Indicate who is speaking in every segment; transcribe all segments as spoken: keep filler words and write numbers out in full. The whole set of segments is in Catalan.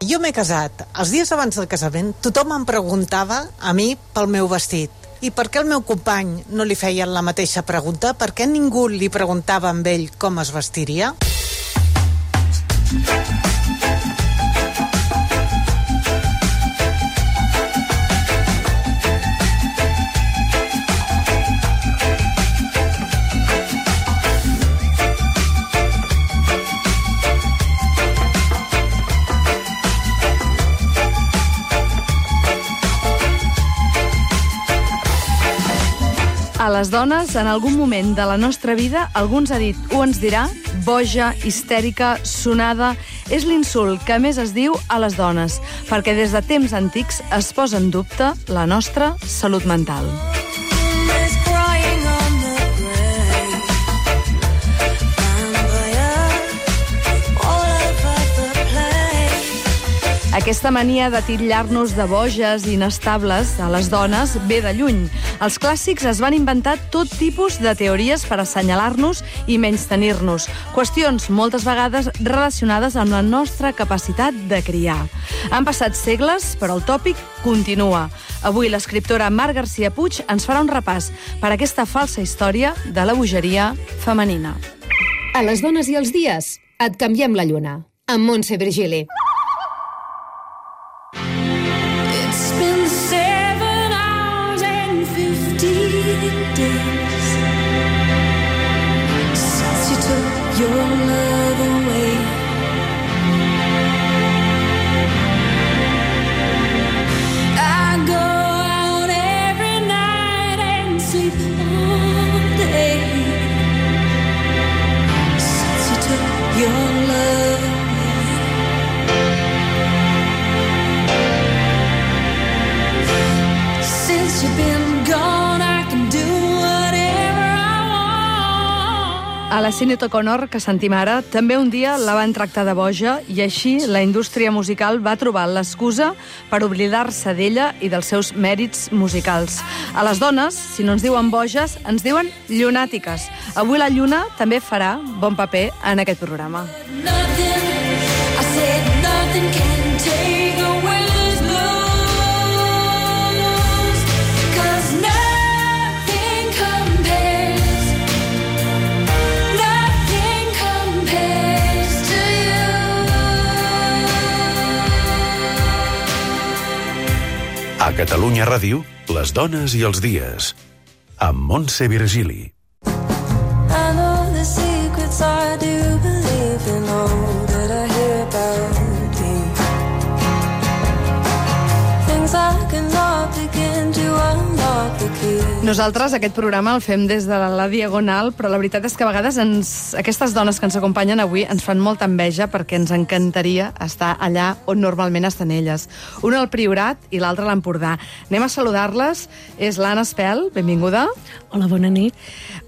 Speaker 1: Jo m'he casat. Els dies abans del casament tothom em preguntava a mi pel meu vestit. I per què el meu company no li feien la mateixa pregunta? Per què ningú li preguntava a ell com es vestiria?
Speaker 2: A les dones, en algun moment de la nostra vida, algú ens ha dit o ens dirà boja, histèrica, sonada. És l'insult que més es diu a les dones, perquè des de temps antics es posa en dubte la nostra salut mental. Aquesta mania de titllar-nos de boges i inestables a les dones ve de lluny. Els clàssics es van inventar tot tipus de teories per assenyalar-nos i menystenir-nos. Qüestions moltes vegades relacionades amb la nostra capacitat de criar. Han passat segles, però el tòpic continua. Avui l'escriptora Mar Garcia Puig ens farà un repàs per aquesta falsa història de la bogeria femenina.
Speaker 3: A les dones i els dies, et canviem la lluna. Amb Montse Virgili.
Speaker 4: Your love away. I go out every night and sleep all day since you took your love away. Since you've been gone, I can do
Speaker 2: a la Sinéad O'Connor, que sentim ara, també un dia la van tractar de boja i així la indústria musical va trobar l'excusa per oblidar-se d'ella i dels seus mèrits musicals. A les dones, si no ens diuen boges, ens diuen llunàtiques. Avui la lluna també farà bon paper en aquest programa.
Speaker 5: A Catalunya Ràdio, les dones i els dies, amb Montse Virgili.
Speaker 4: I know the secrets I do believe in all that I hear about you. Things I cannot begin to unlock the key.
Speaker 2: Nosaltres aquest programa el fem des de la Diagonal, però la veritat és que a vegades ens, aquestes dones que ens acompanyen avui ens fan molta enveja perquè ens encantaria estar allà on normalment estan elles. Una al Priorat i l'altra a l'Empordà. Anem a saludar-les. És l'Anna Espel, benvinguda.
Speaker 6: Hola, bona nit.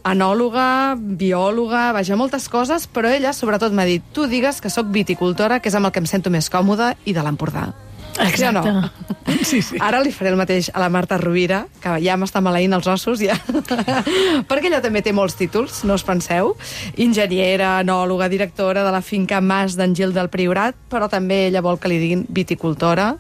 Speaker 2: Enòloga, biòloga, vaja, moltes coses, però ella sobretot m'ha dit, tu digues que sóc viticultora, que és amb el que em sento més còmoda, i de l'Empordà.
Speaker 6: Exacte.
Speaker 2: Ja no?
Speaker 6: Sí, sí.
Speaker 2: Ara li faré el mateix a la Marta Rovira, que ja m'està maleint els ossos, ja. Perquè ella també té molts títols, no us penseu. Enginyera, enòloga, directora de la finca Mas d'en Gil del Priorat, però també ella vol que li diguin viticultora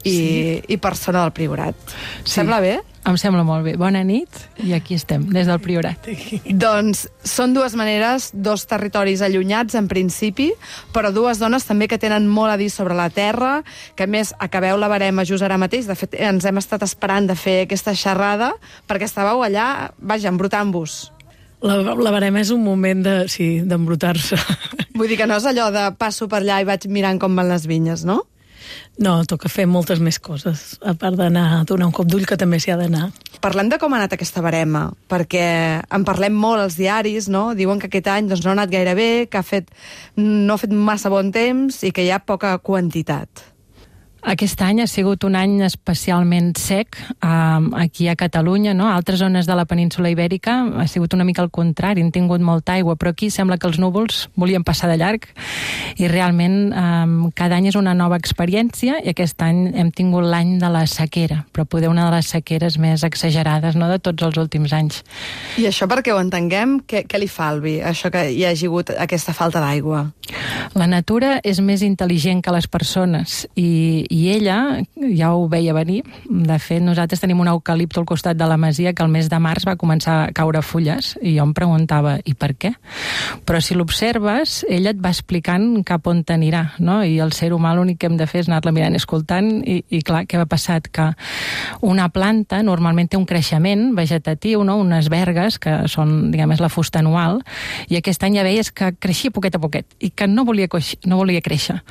Speaker 2: i, sí. i persona del Priorat.
Speaker 6: Sí.
Speaker 2: Sembla bé?
Speaker 6: Em sembla molt bé. Bona nit, i aquí estem, des del Priorat.
Speaker 2: Doncs són dues maneres, dos territoris allunyats en principi, però dues dones també que tenen molt a dir sobre la terra, que a més acabeu la barema just ara mateix. De fet, ens hem estat esperant de fer aquesta xerrada perquè estàveu allà, vaja, embrutant-vos.
Speaker 6: La, la barema és un moment de, sí, d'embrutar-se.
Speaker 2: Vull dir que no és allò de passo per allà i vaig mirant com van les vinyes, no?
Speaker 6: No, toca fer moltes més coses, a part d'anar a donar un cop d'ull, que també s'hi ha d'anar.
Speaker 2: Parlem de com ha anat aquesta barema, perquè en parlem molt als diaris, no? Diuen que aquest any doncs, no ha anat gaire bé, que ha fet, no ha fet massa bon temps i que hi ha poca quantitat.
Speaker 7: Aquest any ha sigut un any especialment sec um, aquí a Catalunya, no? Altres zones de la península Ibèrica ha sigut una mica al contrari, han tingut molta aigua, però aquí sembla que els núvols volien passar de llarg i realment um, cada any és una nova experiència i aquest any hem tingut l'any de la sequera, però poder una de les sequeres més exagerades, no?, de tots els últims anys.
Speaker 2: I això, perquè ho entenguem, què, què li fa al vi, això que hi hagi hagut aquesta falta d'aigua?
Speaker 7: La natura és més intel·ligent que les persones i, i ella ja ho veia venir. De fet, nosaltres tenim un eucalipto al costat de la masia que el mes de març va començar a caure fulles i jo em preguntava, i per què? Però si l'observes, ella et va explicant cap on t'anirà, no? I el ser humà l'únic que hem de fer és anar-la mirant i escoltant i, i clar, què va passat? Que una planta normalment té un creixement vegetatiu, no? Unes vergues que són, diguem, és la fusta anual, i aquest any ja veies que creixia poquet a poquet i que no volia, no volia créixer.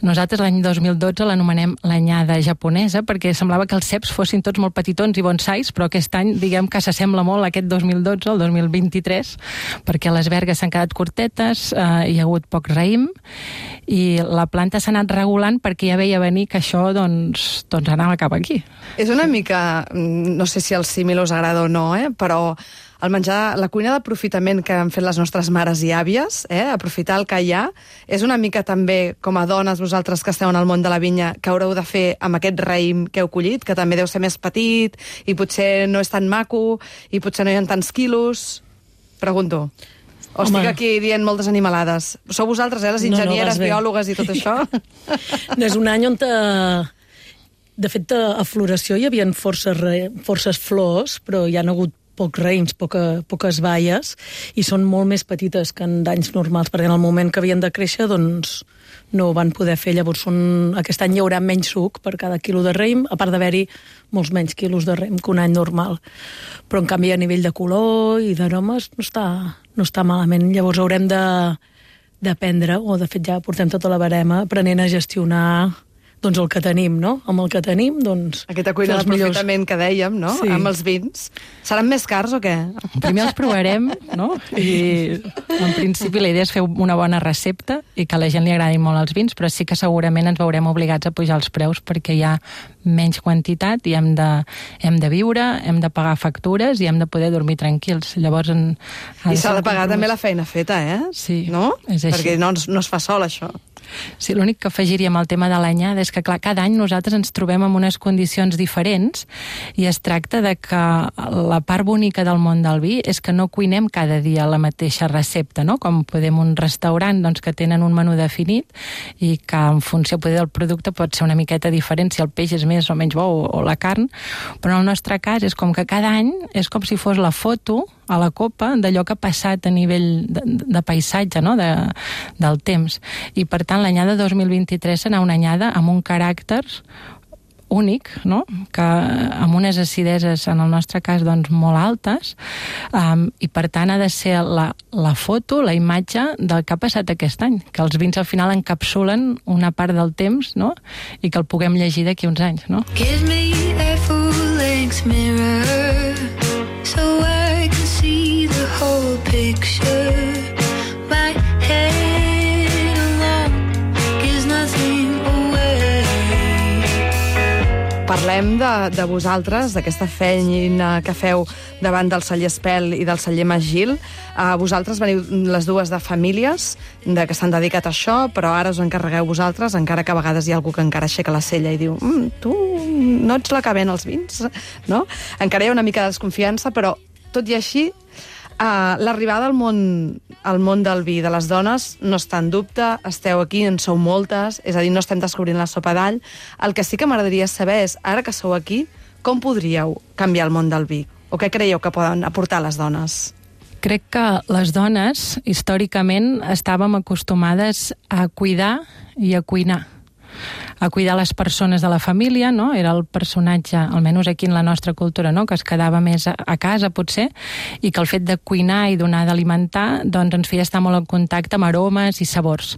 Speaker 7: Nosaltres l'any dos mil dotze l'anomenem l'anyada japonesa perquè semblava que els ceps fossin tots molt petitons i bonsais, però aquest any, diguem que s'assembla molt a aquest dos mil dotze, el dos mil vint-i-tres, perquè les vergues s'han quedat curtetes, eh, hi ha hagut poc raïm, i la planta s'ha anat regulant perquè ja veia venir que això, doncs, doncs anava cap aquí.
Speaker 2: És una mica, no sé si el símil us agrada o no, eh, però el menjar, la cuina d'aprofitament que han fet les nostres mares i àvies, eh, aprofitar el que hi ha, és una mica també, com a dones, vosaltres que esteu en el món de la vinya, que haureu de fer amb aquest raïm que heu collit, que també deu ser més petit, i potser no és tan maco, i potser no hi ha tants quilos. Pregunto. O estic aquí dient moltes animalades. Sou vosaltres, eh, les enginyeres, no, no, biòlogues i tot això?
Speaker 6: No, és un any on te... De fet, a floració hi havia forces, forces flors, però hi ha hagut pocs raïms, poca, poques baies, i són molt més petites que en d'anys normals, perquè en el moment que havien de créixer, doncs no ho van poder fer. Llavors, són... aquest any hi haurà menys suc per cada quilo de raïm, a part d'haver-hi molts menys quilos de raïm que un any normal. Però, en canvi, a nivell de color i d'aromes no està, no està malament. Llavors haurem de d'aprendre, o de fet ja portem tota la barema, aprenent a gestionar doncs el que tenim, no? Amb el que tenim, doncs...
Speaker 2: Aquesta cuina d'aprofitament que dèiem, no?
Speaker 6: Sí.
Speaker 2: Amb els vins. Seran més cars o què?
Speaker 7: Primer els provarem, no? I en principi la idea és fer una bona recepta i que a la gent li agradin molt els vins, però sí que segurament ens veurem obligats a pujar els preus perquè hi ha menys quantitat i hem de, hem de viure, hem de pagar factures i hem de poder dormir tranquils. Llavors... En,
Speaker 2: I s'ha de pagar també la feina feta, eh?
Speaker 7: Sí,
Speaker 2: no?
Speaker 7: és així.
Speaker 2: Perquè no, no es fa sol, això.
Speaker 7: Sí, l'únic que afegiria amb el tema de l'anyada és que, clar, cada any nosaltres ens trobem en unes condicions diferents i es tracta de que la part bonica del món del vi és que no cuinem cada dia la mateixa recepta, no? Com podem un restaurant doncs, que tenen un menú definit i que en funció poder del producte pot ser una miqueta diferent si el peix és més o menys bo o, o la carn, però en el nostre cas és com que cada any és com si fos la foto a la copa d'allò que ha passat a nivell de, de paisatge, no? de, del temps. I per tant l'anyada dos mil vint-i-tres serà una anyada amb un caràcter únic, no? Que amb unes acideses, en el nostre cas, doncs, molt altes, um, i per tant ha de ser la, la foto, la imatge del que ha passat aquest any, que els vins al final encapsulen una part del temps, no? I que el puguem llegir d'aquí uns anys, no?
Speaker 4: Give me a full-length mirror so I can see the whole picture. My head alone gives nothing away.
Speaker 2: Parlem de, de vosaltres, d'aquesta feina que feu davant del celler Espel i del celler Magil. Uh, vosaltres veniu les dues de famílies de que s'han dedicat a això, però ara us encarregueu vosaltres, encara que a vegades hi ha algú que encara aixeca la cella i diu mm, tu no ets la que ven els vins, no? Encara hi ha una mica de desconfiança, però tot i així, uh, l'arribada al món, al món del vi de les dones no està en dubte, esteu aquí, en sou moltes, és a dir, no estem descobrint la sopa d'all. El que sí que m'agradaria saber és, ara que sou aquí, com podríeu canviar el món del vi? O què creieu que poden aportar les dones?
Speaker 7: Crec que les dones, històricament, estàvem acostumades a cuidar i a cuinar. A cuidar les persones de la família, no? Era el personatge, almenys aquí en la nostra cultura, no? Que es quedava més a, a casa, potser, i que el fet de cuinar i donar d'alimentar doncs ens feia estar molt en contacte amb aromes i sabors.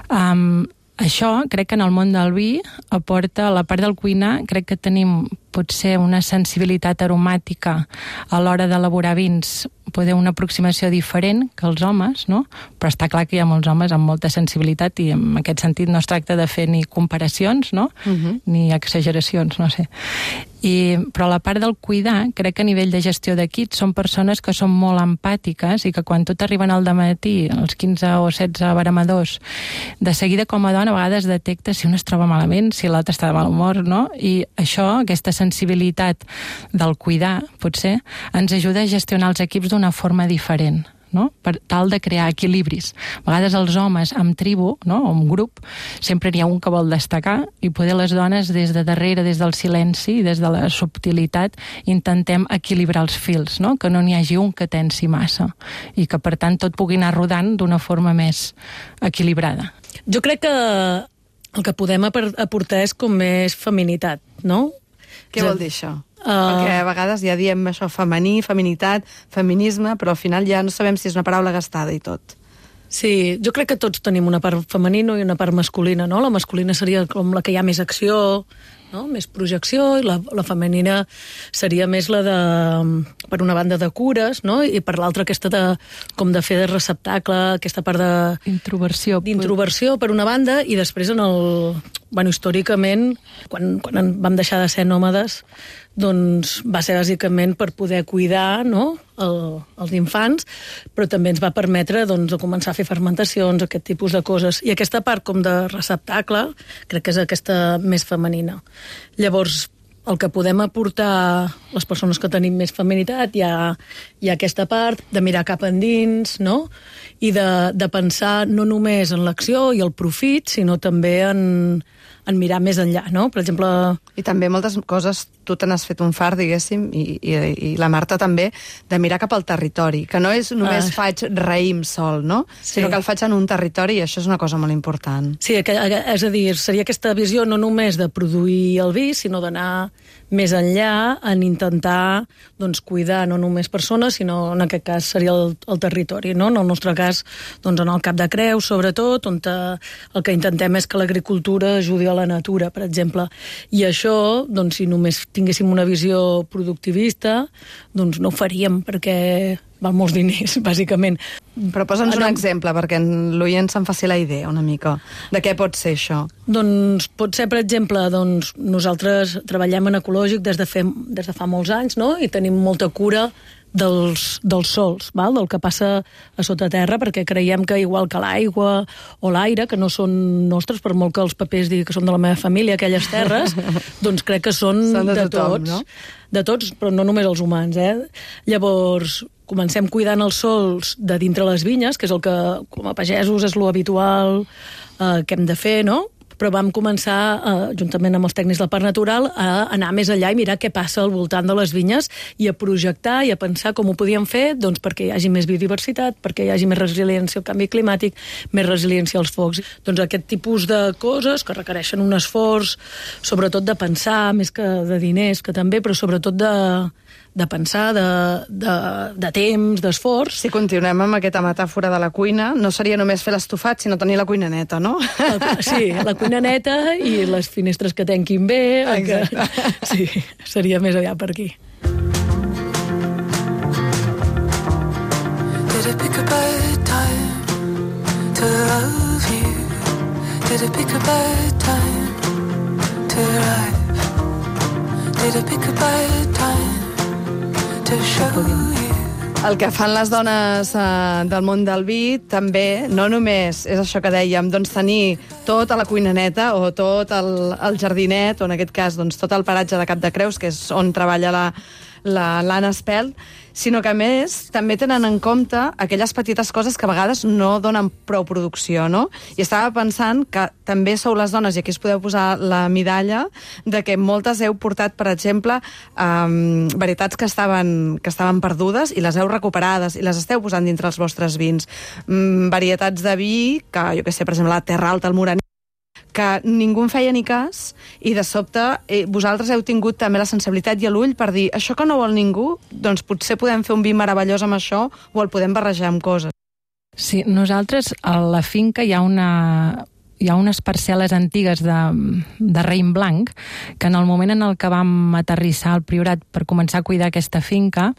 Speaker 7: Um, Això, crec que en el món del vi aporta, a la part del cuinar, crec que tenim potser una sensibilitat aromàtica a l'hora d'elaborar vins, poder una aproximació diferent que els homes, no? Però està clar que hi ha molts homes amb molta sensibilitat i en aquest sentit no es tracta de fer ni comparacions, no? Uh-huh. Ni exageracions, no sé. I, però la part del cuidar, crec que a nivell de gestió d'equips són persones que són molt empàtiques i que quan tot arriben al dematí, els quinze o setze baramadors, de seguida com a dona a vegades detecta si un es troba malament, si l'altre està de mal humor, no? I això, aquesta sensibilitat del cuidar, potser, ens ajuda a gestionar els equips d'una forma diferent, no? Per tal de crear equilibris. A vegades els homes amb tribu, no? O amb grup, sempre n'hi ha un que vol destacar i poder les dones des de darrere, des del silenci, des de la subtilitat, intentem equilibrar els fils, no? Que no n'hi hagi un que tensi massa i que per tant tot pugui anar rodant d'una forma més equilibrada.
Speaker 6: Jo crec que el que podem aportar és com més feminitat, no?
Speaker 8: Què vol dir això? Uh... Perquè a vegades ja diem això, femení, feminitat, feminisme, però al final ja no sabem si és una paraula gastada i tot.
Speaker 6: Sí, jo crec que tots tenim una part femenina i una part masculina, no? La masculina seria com la que hi ha més acció, no? Més projecció, i la, la femenina seria més la de, per una banda, de cures, no? I per l'altra aquesta de, com de fer de receptacle, aquesta part de...
Speaker 7: Introversió.
Speaker 6: D'introversió, per una banda, i després en el... Bueno, històricament, quan, quan vam deixar de ser nòmades, doncs va ser bàsicament per poder cuidar, no?, el, els infants, però també ens va permetre doncs, començar a fer fermentacions, aquest tipus de coses. I aquesta part com de receptacle crec que és aquesta més femenina. Llavors, el que podem aportar les persones que tenim més feminitat, hi ha, hi ha aquesta part de mirar cap endins, no?, i de, de pensar no només en l'acció i el profit, sinó també en, en mirar més enllà, no? Per exemple...
Speaker 8: I també moltes coses, tu te n'has fet un fart, diguéssim, i, i, i la Marta també, de mirar cap al territori, que no és només ah. faig raïm sol, no? Sí. Sinó que el faig en un territori i això és una cosa molt important.
Speaker 6: Sí, és a dir, seria aquesta visió no només de produir el vi, sinó d'anar més enllà en intentar doncs, cuidar no només persones, sinó en aquest cas seria el, el territori, no? En el nostre cas, doncs, en el Cap de Creus, sobretot, on te, el que intentem és que l'agricultura ajudi a la natura, per exemple. I això, doncs, si només tinguéssim una visió productivista, doncs no ho faríem, perquè val molts diners, bàsicament.
Speaker 8: Però posa'ns un exemple, perquè l'oient se'n faci la idea una mica. De què pot ser això?
Speaker 6: Doncs pot ser, per exemple, doncs, nosaltres treballem en ecològic des de, fer, des de fa molts anys, no?, i tenim molta cura dels, dels sols, val? Del que passa a sota terra, perquè creiem que igual que l'aigua o l'aire, que no són nostres, per molt que els papers diguin que són de la meva família, aquelles terres, doncs crec que són, són de, de tothom, tots. No? De tots, però no només els humans, eh? Llavors, comencem cuidant els sols de dintre les vinyes, que és el que, com a pagesos, és lo habitual eh, que hem de fer, no? Però vam començar, eh, juntament amb els tècnics del Parc Natural, a anar més enllà i mirar què passa al voltant de les vinyes i a projectar i a pensar com ho podíem fer doncs, perquè hi hagi més biodiversitat, perquè hi hagi més resiliència al canvi climàtic, més resiliència als focs. Doncs aquest tipus de coses que requereixen un esforç, sobretot de pensar, més que de diners, que també, però sobretot de... de pensar, de, de, de temps, d'esforç.
Speaker 8: Si continuem amb aquesta metàfora de la cuina, no seria només fer l'estofat, sinó tenir la cuina neta, no?
Speaker 6: Sí, la cuina neta i les finestres que tanquin bé. Que... Sí, seria més aviat per aquí.
Speaker 4: Did it pick a bad time to love you? Did it pick a bad time to life? Did it pick a bad time?
Speaker 8: El que fan les dones eh, del món del vi també, no només és això que dèiem, doncs tenir tota la cuina neta o tot el, el jardinet, o en aquest cas doncs, tot el paratge de Cap de Creus, que és on treballa la, la, l'Anna Espelt, sinó que a més també tenen en compte aquelles petites coses que a vegades no donen prou producció, no? I estava pensant que també sou les dones, i aquí us podeu posar la medalla, de que moltes heu portat, per exemple, um, varietats que estaven, que estaven perdudes i les heu recuperades i les esteu posant dintre els vostres vins. Um, varietats de vi, que jo què sé, per exemple, la Terra Alta, el Moraní, que ningú en feia ni cas, i de sobte eh, vosaltres heu tingut també la sensibilitat i l'ull per dir, això que no vol ningú, doncs potser podem fer un vi meravellós amb això o el podem barrejar amb coses.
Speaker 7: Sí, nosaltres a la finca hi ha una... hi ha unes parcel·les antigues de, de raïm blanc que en el moment en el que vam aterrissar al Priorat per començar a cuidar aquesta finca,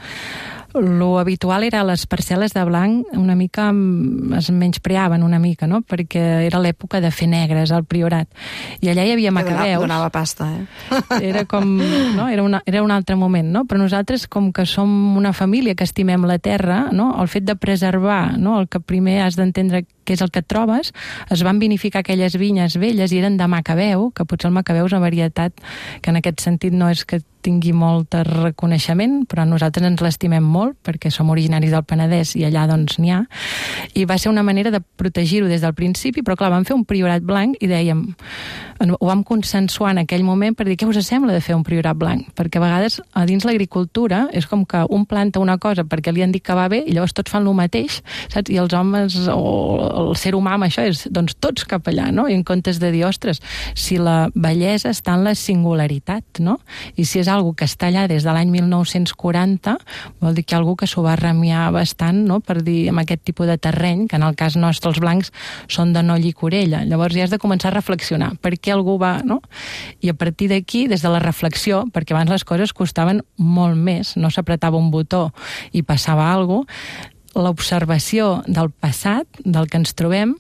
Speaker 7: lo habitual era les parcel·les de blanc una mica es menyspreaven una mica, no? Perquè era l'època de fer negres al Priorat. I allà hi havia macabeus.
Speaker 8: Donava pasta, eh?
Speaker 7: Era com, no? Era, una, era un altre moment, no? Però nosaltres, com que som una família que estimem la terra, no? El fet de preservar, no? El que primer has d'entendre què és el que et trobes, es van vinificar aquelles vinyes velles i eren de macabeu, que potser el macabeu és una varietat que en aquest sentit no és que tingui molt reconeixement, però nosaltres ens l'estimem molt perquè som originaris del Penedès i allà doncs n'hi ha, i va ser una manera de protegir-ho des del principi, però clar, vam fer un priorat blanc i dèiem, ho vam consensuar en aquell moment per dir què us sembla de fer un priorat blanc, perquè a vegades a dins l'agricultura és com que un planta una cosa perquè li han dit que va bé i llavors tots fan el mateix, saps? I els homes o el ser humà amb això és doncs tots cap allà, no? I en comptes de dir, ostres, si la bellesa està en la singularitat, no? I si és algo que està allà des de l'any mil nou-cents quaranta, vol dir que hi ha algú que s'ho va remiar bastant, no? Per dir, amb aquest tipus de terreny, que en el cas nostre els blancs són de noll i corella. Llavors ja has de començar a reflexionar. Per què algú va, no? I a partir d'aquí, des de la reflexió, perquè abans les coses costaven molt més, no s'apretava un botó i passava alguna cosa, l'observació del passat, del que ens trobem,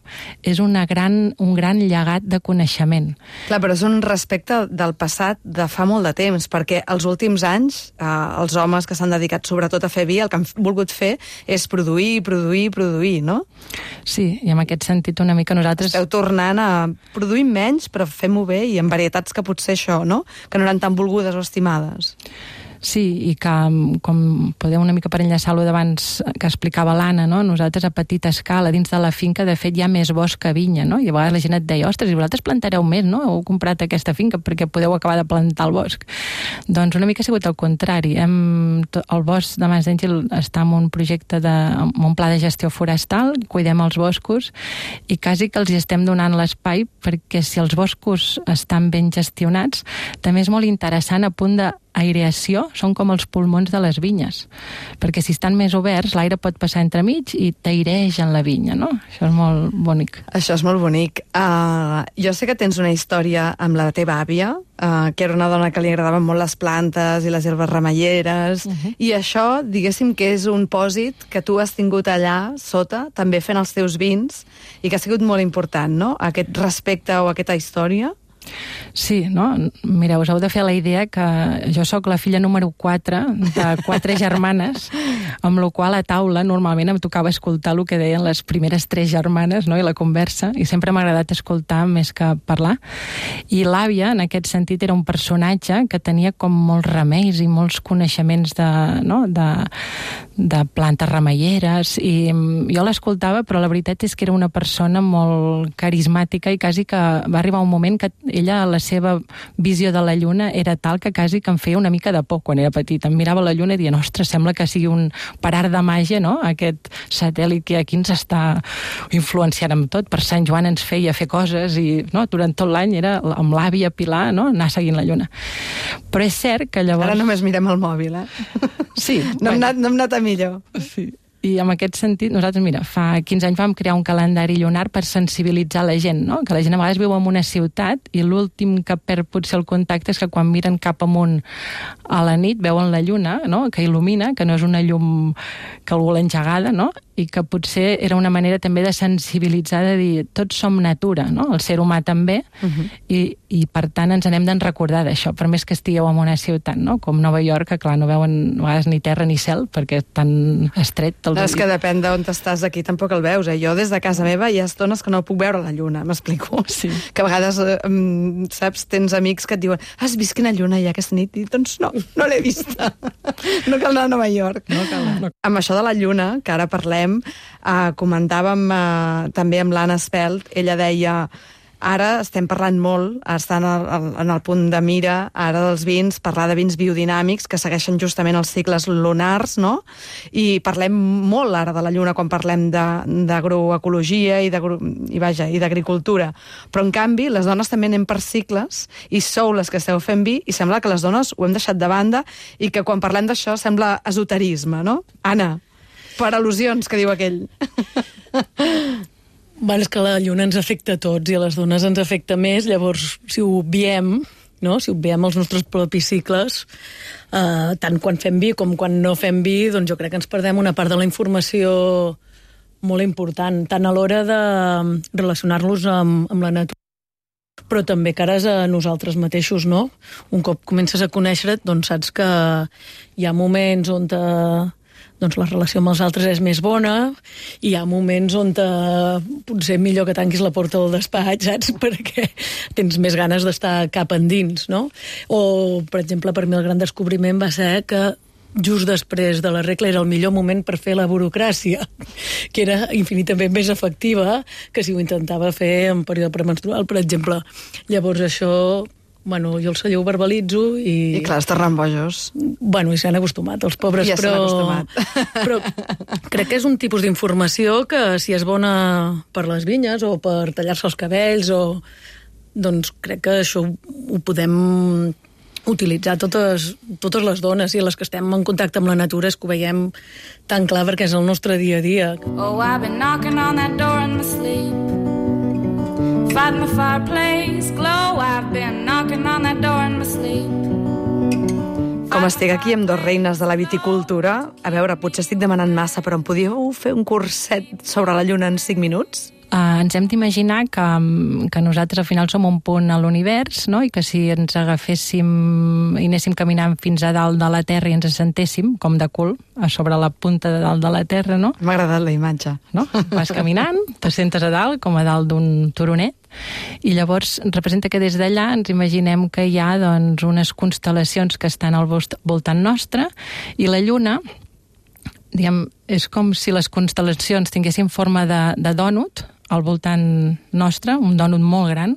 Speaker 7: és una gran, un gran llegat de coneixement.
Speaker 8: Clar, però és un respecte del passat de fa molt de temps, perquè els últims anys, eh, els homes que s'han dedicat sobretot a fer vi, el que han volgut fer és produir, produir, produir, no?
Speaker 7: Sí, i en aquest sentit una mica nosaltres...
Speaker 8: Esteu tornant a produir menys, però fem-ho bé i en varietats que potser això, no? Que no eren tan volgudes o estimades.
Speaker 7: Sí, i que, com podeu una mica per enllaçar-lo d'abans que explicava l'Anna, no? Nosaltres a petita escala, dins de la finca, de fet, hi ha més bosc que vinya, no? I a vegades la gent et deia, ostres, i vosaltres plantareu més, no? Heu comprat aquesta finca perquè podeu acabar de plantar el bosc. Doncs una mica ha sigut el contrari. Hem, el bosc de Mas d'Àngel està en un projecte, de, en un pla de gestió forestal, cuidem els boscos i quasi que els hi estem donant l'espai perquè si els boscos estan ben gestionats, també és molt interessant a punt de aireació, són com els pulmons de les vinyes, perquè si estan més oberts l'aire pot passar entremig i t'aireix en la vinya, no? Això és molt bonic.
Speaker 8: Això és molt bonic. Uh, jo sé que tens una història amb la teva àvia, uh, que era una dona que li agradaven molt les plantes i les herbes remeieres, uh -huh. i això, diguéssim que és un pòsit que tu has tingut allà sota, també fent els teus vins, i que ha sigut molt important, no?, aquest respecte o aquesta història.
Speaker 7: Sí, no? Mireu, us heu de fer la idea que jo sóc la filla número quatre de quatre germanes, amb la qual a taula normalment em tocava escoltar el que deien les primeres tres germanes, no? I la conversa, i sempre m'ha agradat escoltar més que parlar. I l'àvia, en aquest sentit, era un personatge que tenia com molts remeis i molts coneixements de, no? de, de plantes remeieres, i jo l'escoltava, però la veritat és que era una persona molt carismàtica i quasi que va arribar un moment que ella, la seva visió de la lluna era tal que quasi que em feia una mica de por quan era petita. Em mirava la lluna i dient, ostres, sembla que sigui un parar de màgia, no?, aquest satèl·lit que aquí ens està influenciant amb tot. Per Sant Joan ens feia fer coses i, no?, durant tot l'any era amb l'àvia Pilar, no?, anar seguint la lluna. Però és cert que llavors...
Speaker 8: Ara només mirem el mòbil, eh?
Speaker 7: Sí.
Speaker 8: No hem anat, no hem anat a millor.
Speaker 7: Sí. I en aquest sentit, nosaltres, mira, fa quinze anys vam crear un calendari lunar per sensibilitzar la gent, no? Que la gent a vegades viu en una ciutat i l'últim que perd potser el contacte és que quan miren cap amunt a la nit veuen la lluna, no?, que il·lumina, que no és una llum que algú l'ha engegada, no?, i que potser era una manera també de sensibilitzar, de dir, tots som natura, no?, el ser humà també, uh -huh. i, i per tant ens n'hem de recordar d'això, per més que estigueu en una ciutat, no?, com Nova York, que clar, no veuen a vegades ni terra ni cel, perquè és tan estret.
Speaker 8: No, és que depèn d'on estàs, aquí tampoc el veus, eh? Jo des de casa meva hi ha estones que no puc veure la lluna, m'explico?
Speaker 7: Sí.
Speaker 8: Que a vegades, eh, saps, tens amics que et diuen, has vist quina lluna hi ha aquesta nit? I doncs no, no l'he vista. No cal anar a Nova York.
Speaker 7: No cal anar.
Speaker 8: Amb això de la lluna, que ara parlem, eh, comentàvem eh, també amb l'Anna Espelt, ella deia... Ara estem parlant molt, estan en el punt de mira, ara dels vins, parlar de vins biodinàmics que segueixen justament els cicles lunars, no? I parlem molt ara de la lluna quan parlem d'agroecologia i d'agricultura. Però, en canvi, les dones també anem per cicles i sou les que esteu fent vi i sembla que les dones ho hem deixat de banda i que quan parlem d'això sembla esoterisme, no? Anna, per al·lusions, que diu aquell.
Speaker 6: Bueno, és que la lluna ens afecta a tots i a les dones ens afecta més, llavors si ho obviem, no? Si obviem els nostres propis cicles, eh, tant quan fem vi com quan no fem vi, doncs jo crec que ens perdem una part de la informació molt important, tant a l'hora de relacionar-los amb, amb la natura, però també cares a nosaltres mateixos, no? Un cop comences a conèixer-te, doncs saps que hi ha moments on te, doncs la relació amb els altres és més bona i hi ha moments on te, potser millor que tanquis la porta del despatx, saps? Perquè tens més ganes d'estar cap endins, no? O, per exemple, per mi el gran descobriment va ser que just després de la regla era el millor moment per fer la burocràcia, que era infinitament més efectiva que si ho intentava fer en període premenstrual, per exemple. Llavors això, bueno, jo el celler ho verbalitzo i...
Speaker 8: I clar, es tornen bojos.
Speaker 6: Bueno, i s'han acostumat, els pobres,
Speaker 8: ja
Speaker 6: però...
Speaker 8: acostumat.
Speaker 6: Però crec que és un tipus d'informació que si és bona per les vinyes o per tallar-se els cabells o... Doncs crec que això ho podem utilitzar totes, totes les dones i les que estem en contacte amb la natura és que ho veiem tan clar perquè és el nostre dia a dia.
Speaker 4: Oh, I've been knocking on that door in my sleep, fighting the fireplace glow. I've been knocking on that door in my sleep.
Speaker 8: Com estic aquí amb dos reines de la viticultura, a veure, potser estic demanant massa, però em podíeu fer un curset sobre la lluna en cinc minuts?
Speaker 7: Uh, ens hem d'imaginar que, que nosaltres al final som un punt a l'univers, no? I que si ens agaféssim i anéssim caminant fins a dalt de la Terra i ens assentéssim, com de cul, a sobre la punta de dalt de la Terra, no?
Speaker 8: M'ha agradat la imatge.
Speaker 7: No? Vas caminant, te sentes a dalt, com a dalt d'un turonet, i llavors representa que des d'allà ens imaginem que hi ha doncs, unes constel·lacions que estan al voltant nostre, i la Lluna, diguem, és com si les constel·lacions tinguessin forma de, de dònut al voltant nostre, un dònut molt gran,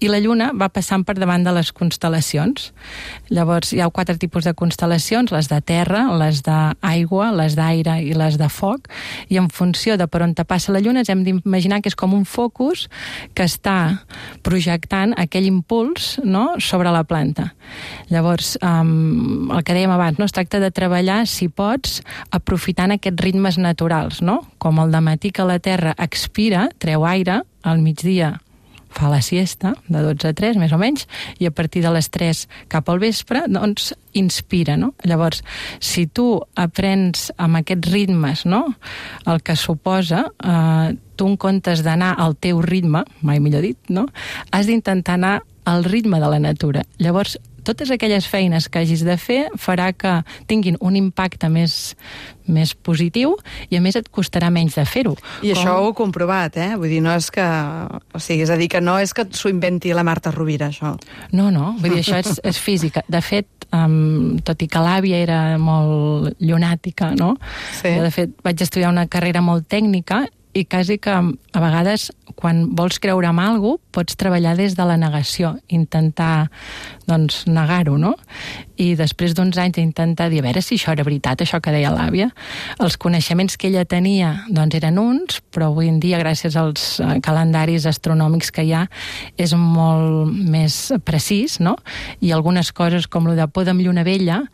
Speaker 7: i la Lluna va passant per davant de les constel·lacions. Llavors hi ha quatre tipus de constel·lacions, les de terra, les d'aigua, les d'aire i les de foc, i en funció de per on te passa la Lluna ens hem d'imaginar que és com un focus que està projectant aquell impuls, no?, sobre la planta. Llavors, um, el que dèiem abans, no? Es tracta de treballar, si pots, aprofitant aquests ritmes naturals, no? Com el dematí que la Terra expira, treu aire, al migdia fa la siesta, de dotze a tres, més o menys, i a partir de les tres cap al vespre, doncs, inspira, no? Llavors, si tu aprens amb aquests ritmes, no?, el que suposa, eh, tu en comptes d'anar al teu ritme, mai millor dit, no?, has d'intentar anar al ritme de la natura. Llavors, totes aquelles feines que hagis de fer farà que tinguin un impacte més, més positiu i a més et costarà menys de fer-ho.
Speaker 8: I
Speaker 7: Com...
Speaker 8: això ho he comprovat, eh? Vull dir, no és que... O sigui, és a dir, que no és que s'ho inventi la Marta Rovira, això.
Speaker 7: No, no, vull dir, això és, és física. De fet, um, tot i que l'àvia era molt llunàtica, no?
Speaker 8: Sí.
Speaker 7: Jo, de fet, vaig estudiar una carrera molt tècnica i quasi que a vegades quan vols creure en alguna cosa pots treballar des de la negació, intentar doncs negar-ho, no? I després d'uns anys d'intentar dir a veure si això era veritat, això que deia l'àvia, els coneixements que ella tenia doncs eren uns, però avui en dia gràcies als calendaris astronòmics que hi ha és molt més precís, no? I algunes coses com lo de poda amb lluna vella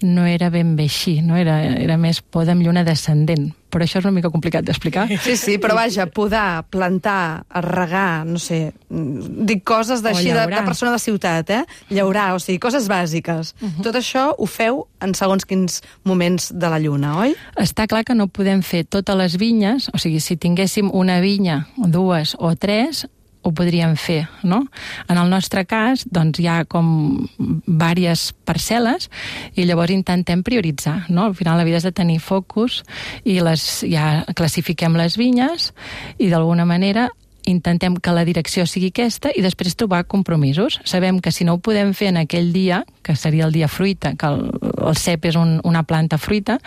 Speaker 7: no era ben bé així, no? Era, era més poda amb lluna descendent, però això és una mica complicat d'explicar.
Speaker 8: Sí, sí, però vaja, podar, plantar, regar, no sé, dic coses d'així de, de persona de ciutat, eh? Llaurar, o sigui, coses bàsiques. Uh -huh. Tot això ho feu en segons quins moments de la lluna, oi?
Speaker 7: Està clar que no podem fer totes les vinyes, o sigui, si tinguéssim una vinya, dues o tres, ho podríem fer, no? En el nostre cas, doncs, hi ha com diverses parcel·les i llavors intentem prioritzar, no? Al final la vida és de tenir focus i les, ja classifiquem les vinyes i d'alguna manera intentem que la direcció sigui aquesta i després trobar compromisos. Sabem que si no ho podem fer en aquell dia, que seria el dia fruita, que el, el cep és un, una planta fruita,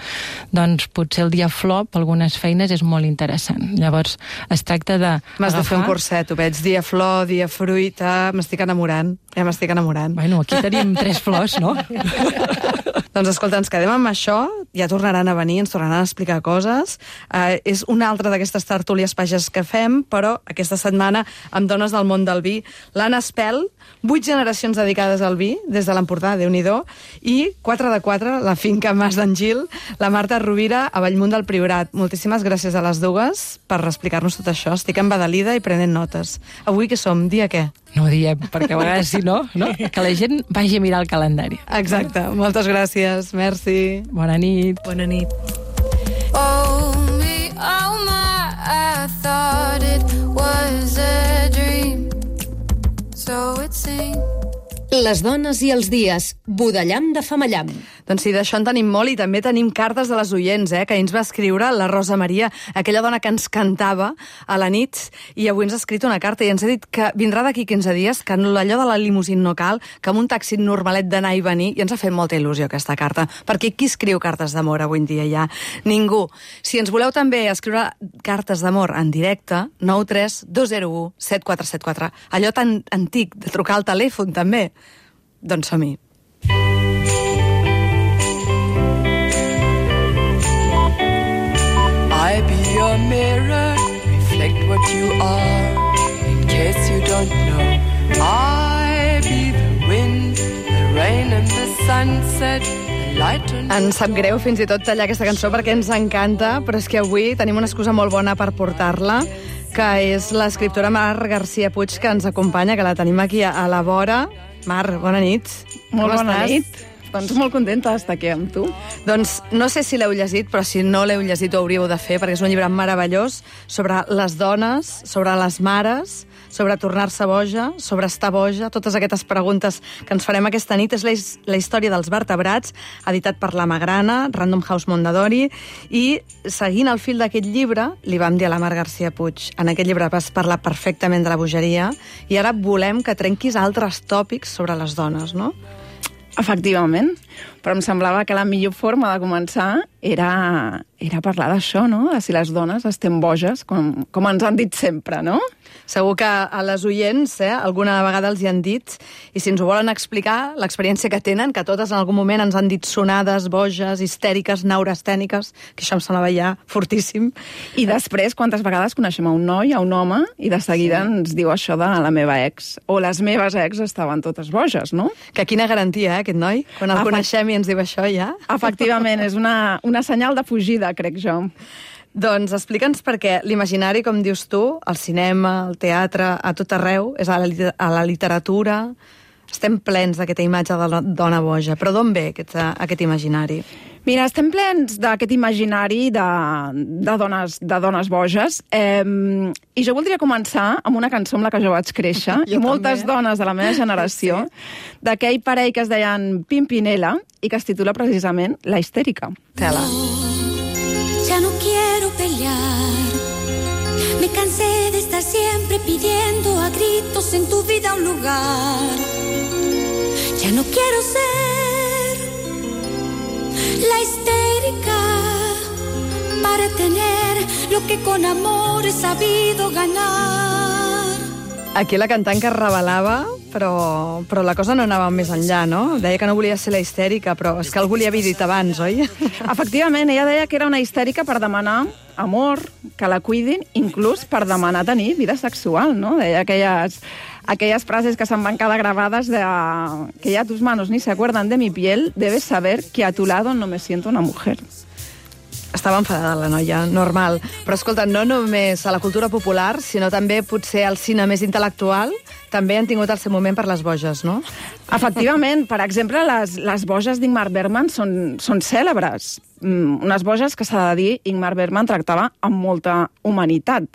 Speaker 7: doncs potser el dia flor, per algunes feines, és molt interessant. Llavors, es tracta de...
Speaker 8: M'has de fer un curset, ho veig, dia flor, dia fruita, m'estic enamorant, ja m'estic enamorant.
Speaker 7: Bueno, aquí tenim tres flors, no?
Speaker 8: Doncs escolta, ens quedem amb això, ja tornaran a venir, ens tornaran a explicar coses. Uh, és una altra d'aquestes tertúlies pages que fem, però aquesta aquesta setmana amb dones del món del vi. L'Anna Espel, vuit generacions dedicades al vi, des de l'Empordà, Déu-n'hi-do, i quatre de quatre, la finca Mas d'en Gil, la Marta Rovira, a Bellmunt del Priorat. Moltíssimes gràcies a les dues per explicar-nos tot això. Estic embadalida i prenent notes. Avui què som? Dia què?
Speaker 7: No ho diem, perquè a vegades si no, no, que la gent vagi a mirar el calendari.
Speaker 8: Exacte. Moltes gràcies. Merci.
Speaker 7: Bona nit.
Speaker 6: Bona nit.
Speaker 4: Oh, me, oh my, I thought it was a dream. So it seemed.
Speaker 3: Les dones i els dies, Budellam de Famallam.
Speaker 8: Doncs sí, d'això en tenim molt i també tenim cartes de les oients, eh, que ens va escriure la Rosa Maria, aquella dona que ens cantava a la nit, i avui ens ha escrit una carta i ens ha dit que vindrà d'aquí quinze dies, que allò de la limusina no cal, que amb un taxi normalet d'anar i venir, i ens ha fet molta il·lusió aquesta carta, perquè qui escriu cartes d'amor avui en dia ja? Ningú. Si ens voleu també escriure cartes d'amor en directe, nou tres dos zero u set quatre set quatre, allò tan antic de trucar al telèfon també. Doncs som-hi.
Speaker 9: I be your mirror, reflect what you are, in case you don't know. I be the wind, the rain and the sunset, the light and...
Speaker 8: Ens sap greu fins i tot tallar aquesta cançó perquè ens encanta, però és que avui tenim una excusa molt bona per portar-la, que és l'escriptora Mar García Puig, que ens acompanya, que la tenim aquí a la vora. Mar, bona nit.
Speaker 10: Molt
Speaker 8: Com
Speaker 10: bona
Speaker 8: estàs?
Speaker 10: nit. Doncs molt contenta d'estar aquí amb tu.
Speaker 8: Doncs no sé si l'heu llegit, però si no l'heu llegit ho hauríeu de fer, perquè és un llibre meravellós sobre les dones, sobre les mares, sobre tornar-se boja, sobre estar boja, totes aquestes preguntes que ens farem aquesta nit. És la, la història dels vertebrats, editat per la Magrana, Random House Mondadori, i seguint el fil d'aquest llibre, li vam dir a la Mar García Puig, en aquest llibre vas parlar perfectament de la bogeria, i ara volem que trenquis altres tòpics sobre les dones, no?
Speaker 10: Efectivament, però em semblava que la millor forma de començar era, era parlar d'això, no? De si les dones estem boges, com, com ens han dit sempre, no?
Speaker 8: Segur que a les oients eh, alguna vegada els hi han dit, i si ens ho volen explicar, l'experiència que tenen, que totes en algun moment ens han dit sonades, boges, histèriques, neurastèniques, que això em semblava ja fortíssim.
Speaker 10: I després, quantes vegades coneixem a un noi, a un home, i de seguida sí. ens diu això de la meva ex, o les meves ex estaven totes boges, no?
Speaker 8: Que quina garantia, eh, aquest noi? Quan el
Speaker 10: Efect...
Speaker 8: coneixem i ens diu això, ja?
Speaker 10: Efectivament, és una, una senyal de fugida, crec jo.
Speaker 8: Doncs explica'ns per què l'imaginari, com dius tu, al cinema, al teatre, a tot arreu, és a la, a la literatura, estem plens d'aquesta imatge de la dona boja. Però d'on ve aquest, aquest imaginari?
Speaker 10: Mira, estem plens d'aquest imaginari de, de, dones, de dones boges, eh, i jo voldria començar amb una cançó amb la que jo vaig créixer, i moltes també. Dones de la meva generació, sí. d'aquell parell que es deien Pimpinela, i que es titula precisament La histèrica.
Speaker 8: Tela.
Speaker 11: Ya no quiero pelear, me cansé de estar siempre pidiendo a gritos en tu vida un lugar. Ya no quiero ser la histérica para tener lo que con amor he sabido ganar.
Speaker 8: Aquí la cantant que es revelava, però, però la cosa no anava més enllà, no? Deia que no volia ser la histèrica, però és que algú li havia dit abans, oi?
Speaker 10: Efectivament, ella deia que era una histèrica per demanar amor, que la cuidin, inclús per demanar tenir vida sexual, no? Deia aquelles, aquelles frases que se'n van quedar gravades de que ya tus manos ni se acuerdan de mi piel, debes saber que a tu lado no me siento una mujer.
Speaker 8: Estava enfadada la noia, normal. Però escolta, no només a la cultura popular, sinó també potser al cine més intel·lectual, també han tingut el seu moment per les boges, no?
Speaker 10: Efectivament. Per exemple, les, les boges d'Ingmar Bergman són, són cèlebres. Mm, unes boges que s'ha de dir, Ingmar Bergman tractava amb molta humanitat.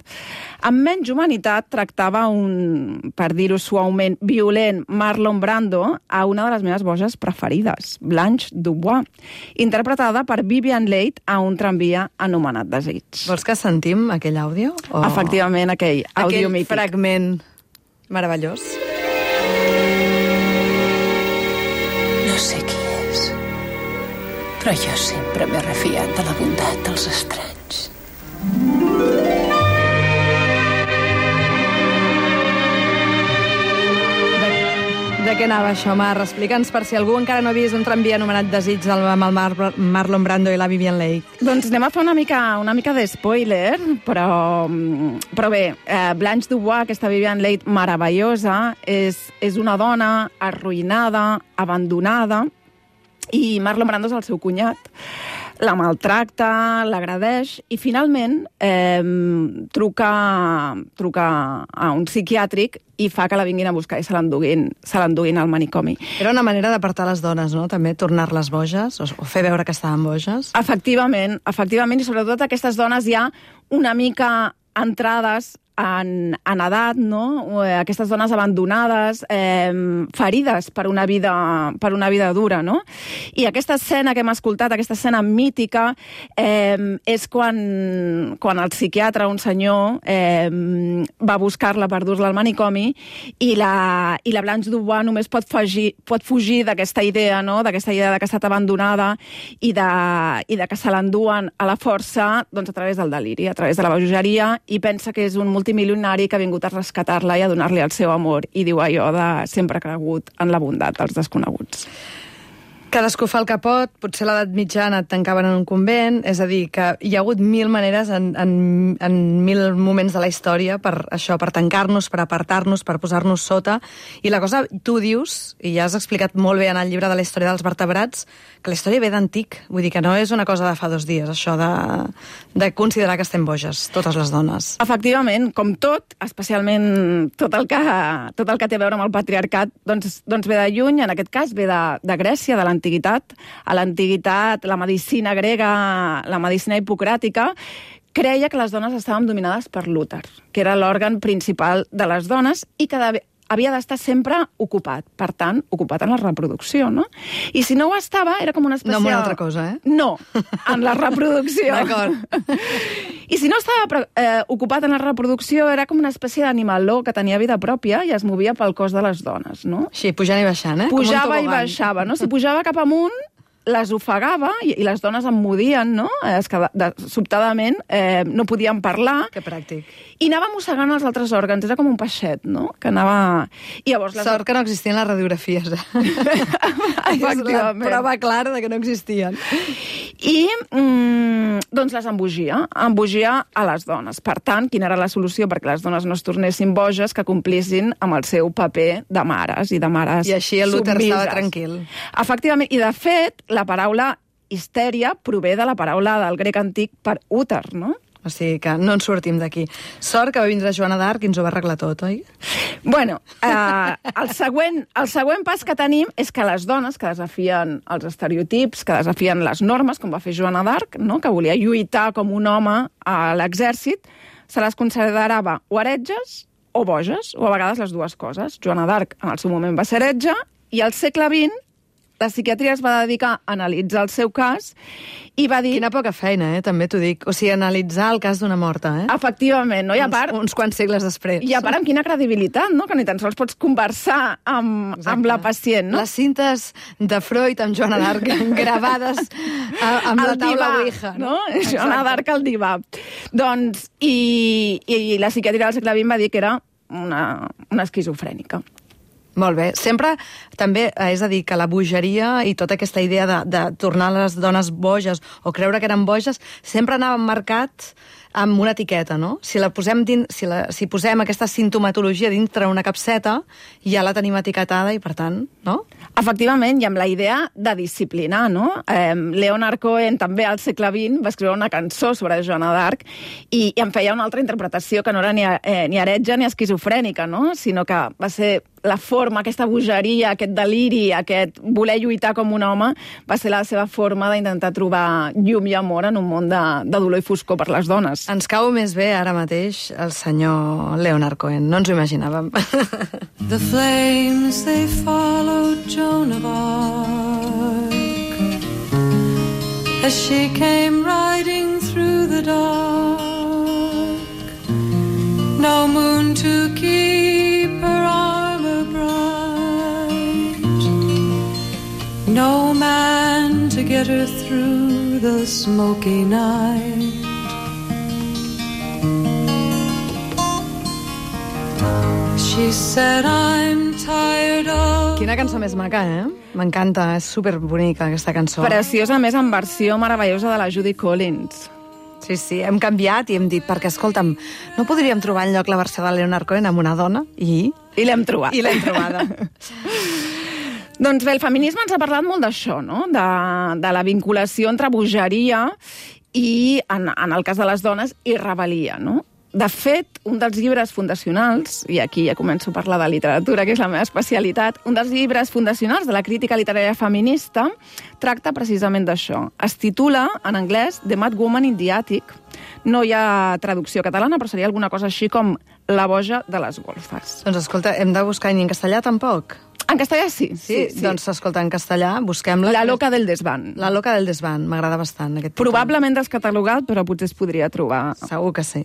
Speaker 10: Amb menys humanitat tractava un, per dir-ho suaument, violent Marlon Brando a una de les meves boges preferides, Blanche Dubois, interpretada per Vivian Leigh a un tramvia anomenat Desig.
Speaker 8: Vols que sentim aquell àudio?
Speaker 10: O... Efectivament, aquell àudio
Speaker 8: aquell
Speaker 10: mític.
Speaker 8: Aquell fragment meravellós.
Speaker 12: No sé qui és, però jo sempre m'he refiat de la bondat dels estranys.
Speaker 8: De què
Speaker 2: anava això, Mar? Explica'ns per si algú encara no ha vist un tramvia anomenat Desig amb el Mar Marlon Brando i la Vivian Leigh.
Speaker 10: Doncs anem a fer una mica, una mica de spoiler, però, però bé, eh, Blanche Dubois, aquesta Vivian Leigh meravellosa, és, és una dona arruïnada, abandonada, i Marlon Brando és el seu cunyat. La maltracta, l'agredeix i finalment eh, truca, truca a un psiquiàtric i fa que la vinguin a buscar i se l'enduguin, se l'enduguin al manicomi.
Speaker 2: Era una manera d'apartar les dones, no? També tornar-les boges, o fer veure que estaven boges.
Speaker 10: Efectivament, efectivament, i sobretot aquestes dones ja una mica entrades en, en edat, no? Aquestes dones abandonades, eh, ferides per una vida, per una vida dura, no? I aquesta escena que hem escoltat, aquesta escena mítica, eh, és quan, quan el psiquiatre, un senyor, eh, va buscar-la per dur-la al manicomi i la, i la Blanche Dubois només pot fugir, pot fugir d'aquesta idea, no? D'aquesta idea de que ha estat abandonada i de, i de que se l'enduen a la força, doncs, a través del deliri, a través de la bogeria, i pensa que és un multimilionari que ha vingut a rescatar-la i a donar-li el seu amor, i diu allò de sempre cregut en la bondat dels desconeguts.
Speaker 2: Cadascú fa el que pot, potser a l'edat mitjana et tancaven en un convent, és a dir, que hi ha hagut mil maneres en, en, en mil moments de la història per això, per tancar-nos, per apartar-nos, per posar-nos sota, i la cosa, tu dius, i ja has explicat molt bé en el llibre de la història dels vertebrats, que la història ve d'antic, vull dir que no és una cosa de fa dos dies, això de, de considerar que estem boges, totes les dones.
Speaker 10: Efectivament, com tot, especialment tot el que, tot el que té a veure amb el patriarcat, doncs, doncs ve de lluny, en aquest cas ve de, de Grècia, de l'antiguitat. A l'antiguitat, la medicina grega, la medicina hipocràtica, creia que les dones estaven dominades per l'úter, que era l'òrgan principal de les dones i que havia d'estar sempre ocupat, per tant, ocupat en la reproducció, no? I si no ho estava, era com una espècie...
Speaker 2: No amb una altra cosa, eh?
Speaker 10: No, en la reproducció.
Speaker 2: D'acord.
Speaker 10: I si no estava eh, ocupat en la reproducció, era com una espècie d'animaló que tenia vida pròpia i es movia pel cos de les dones, no?
Speaker 2: Sí, pujant i baixant, eh?
Speaker 10: Pujava i baixava, no? Si pujava cap amunt, les ofegava i, i les dones emmudien, no? Es que de, sobtadament eh, no podien parlar.
Speaker 2: Que pràctic.
Speaker 10: I anava mossegant els altres òrgans, era com un peixet, no? Que anava... I llavors les...
Speaker 2: Sort que no existien les radiografies, eh?
Speaker 10: Efectivament.
Speaker 2: És la prova clara de que no existien.
Speaker 10: I, mm, doncs, les embogia. Embogia a les dones. Per tant, quina era la solució perquè les dones no es tornessin boges, que complissin amb el seu paper de mares i de mares submises.
Speaker 2: I així el l'úter estava tranquil.
Speaker 10: Efectivament. I, de fet, la paraula histèria prové de la paraula del grec antic per úter, no?
Speaker 2: O sigui que no ens sortim d'aquí. Sort que va vindre Joana d'Arc i ens ho va arreglar tot, oi?
Speaker 10: Bueno, eh, el, següent, el següent pas que tenim és que les dones que desafien els estereotips, que desafien les normes, com va fer Joana d'Arc, no? Que volia lluitar com un home a l'exèrcit, se les considerava o heretges o boges, o a vegades les dues coses. Joana d'Arc en el seu moment va ser heretge, i al segle vint la psiquiatria es va dedicar a analitzar el seu cas i va dir...
Speaker 2: Quina poca feina, eh? També t'ho dic. O sigui, analitzar el cas d'una morta, eh?
Speaker 10: Efectivament, no? I a part...
Speaker 2: Uns, uns quants segles després.
Speaker 10: I a part amb quina credibilitat, no? Que ni tan sols pots conversar amb, amb la pacient, no?
Speaker 2: Les cintes de Freud amb Joana d'Arc gravades a, amb
Speaker 10: el
Speaker 2: la taula
Speaker 10: divà,
Speaker 2: Ouija,
Speaker 10: no? Joana d'Arc al divà. Doncs, i, i la psiquiatria del segle vint va dir que era una, una esquizofrènica.
Speaker 2: Molt bé. Sempre, també, és a dir, que la bogeria i tota aquesta idea de, de tornar les dones boges o creure que eren boges, sempre anava marcat amb una etiqueta, no? Si la posem dins, si, la, si posem aquesta sintomatologia dintre una capseta, ja la tenim etiquetada i, per tant, no?
Speaker 10: Efectivament, i amb la idea de disciplinar, no? Eh, Leonard Cohen, també al segle vint, va escriure una cançó sobre Joana d'Arc i, i en feia una altra interpretació que no era ni, eh, ni heretge ni esquizofrènica, no? Sinó que va ser la forma, aquesta bogeria, aquest deliri, aquest voler lluitar com un home, va ser la seva forma d'intentar trobar llum i amor en un món de, de dolor i foscor per les dones.
Speaker 2: Ens cau més bé ara mateix el senyor Leonard Cohen, no ens ho imaginàvem.
Speaker 4: The flames, they followed Joan of Arc as she came riding through the dark. No moon to keep her armor bright, no man to get her through the smoky night. She said, I'm tired of
Speaker 8: Quina cançó més maca, eh? M'encanta, és superbonica aquesta cançó.
Speaker 10: Preciosa, a més, en versió meravellosa de la Judy Collins.
Speaker 8: Sí, sí, hem canviat i hem dit, perquè, escolta'm, no podríem trobar enlloc la versió de Leonard Cohen amb una dona? I...
Speaker 10: I l'hem trobat.
Speaker 8: I l'hem trobada.
Speaker 10: Doncs bé, el feminisme ens ha parlat molt d'això, no? De, de la vinculació entre bogeria i, en, en el cas de les dones, i rebel·lia, no? De fet, un dels llibres fundacionals, i aquí ja començo a parlar de literatura, que és la meva especialitat, un dels llibres fundacionals de la crítica literària feminista tracta precisament d'això. Es titula, en anglès, The Mad Woman in the Attic. No hi ha traducció catalana, però seria alguna cosa així com La boja de les golfes.
Speaker 8: Doncs escolta, hem de buscar, i en castellà tampoc?
Speaker 10: En castellà sí.
Speaker 8: Sí, sí, sí. Doncs escolta, en castellà busquem-la.
Speaker 10: La loca del desván.
Speaker 8: La loca del desván, m'agrada bastant aquest títol.
Speaker 10: Probablement descatalogat, però potser es podria trobar.
Speaker 8: Segur que sí.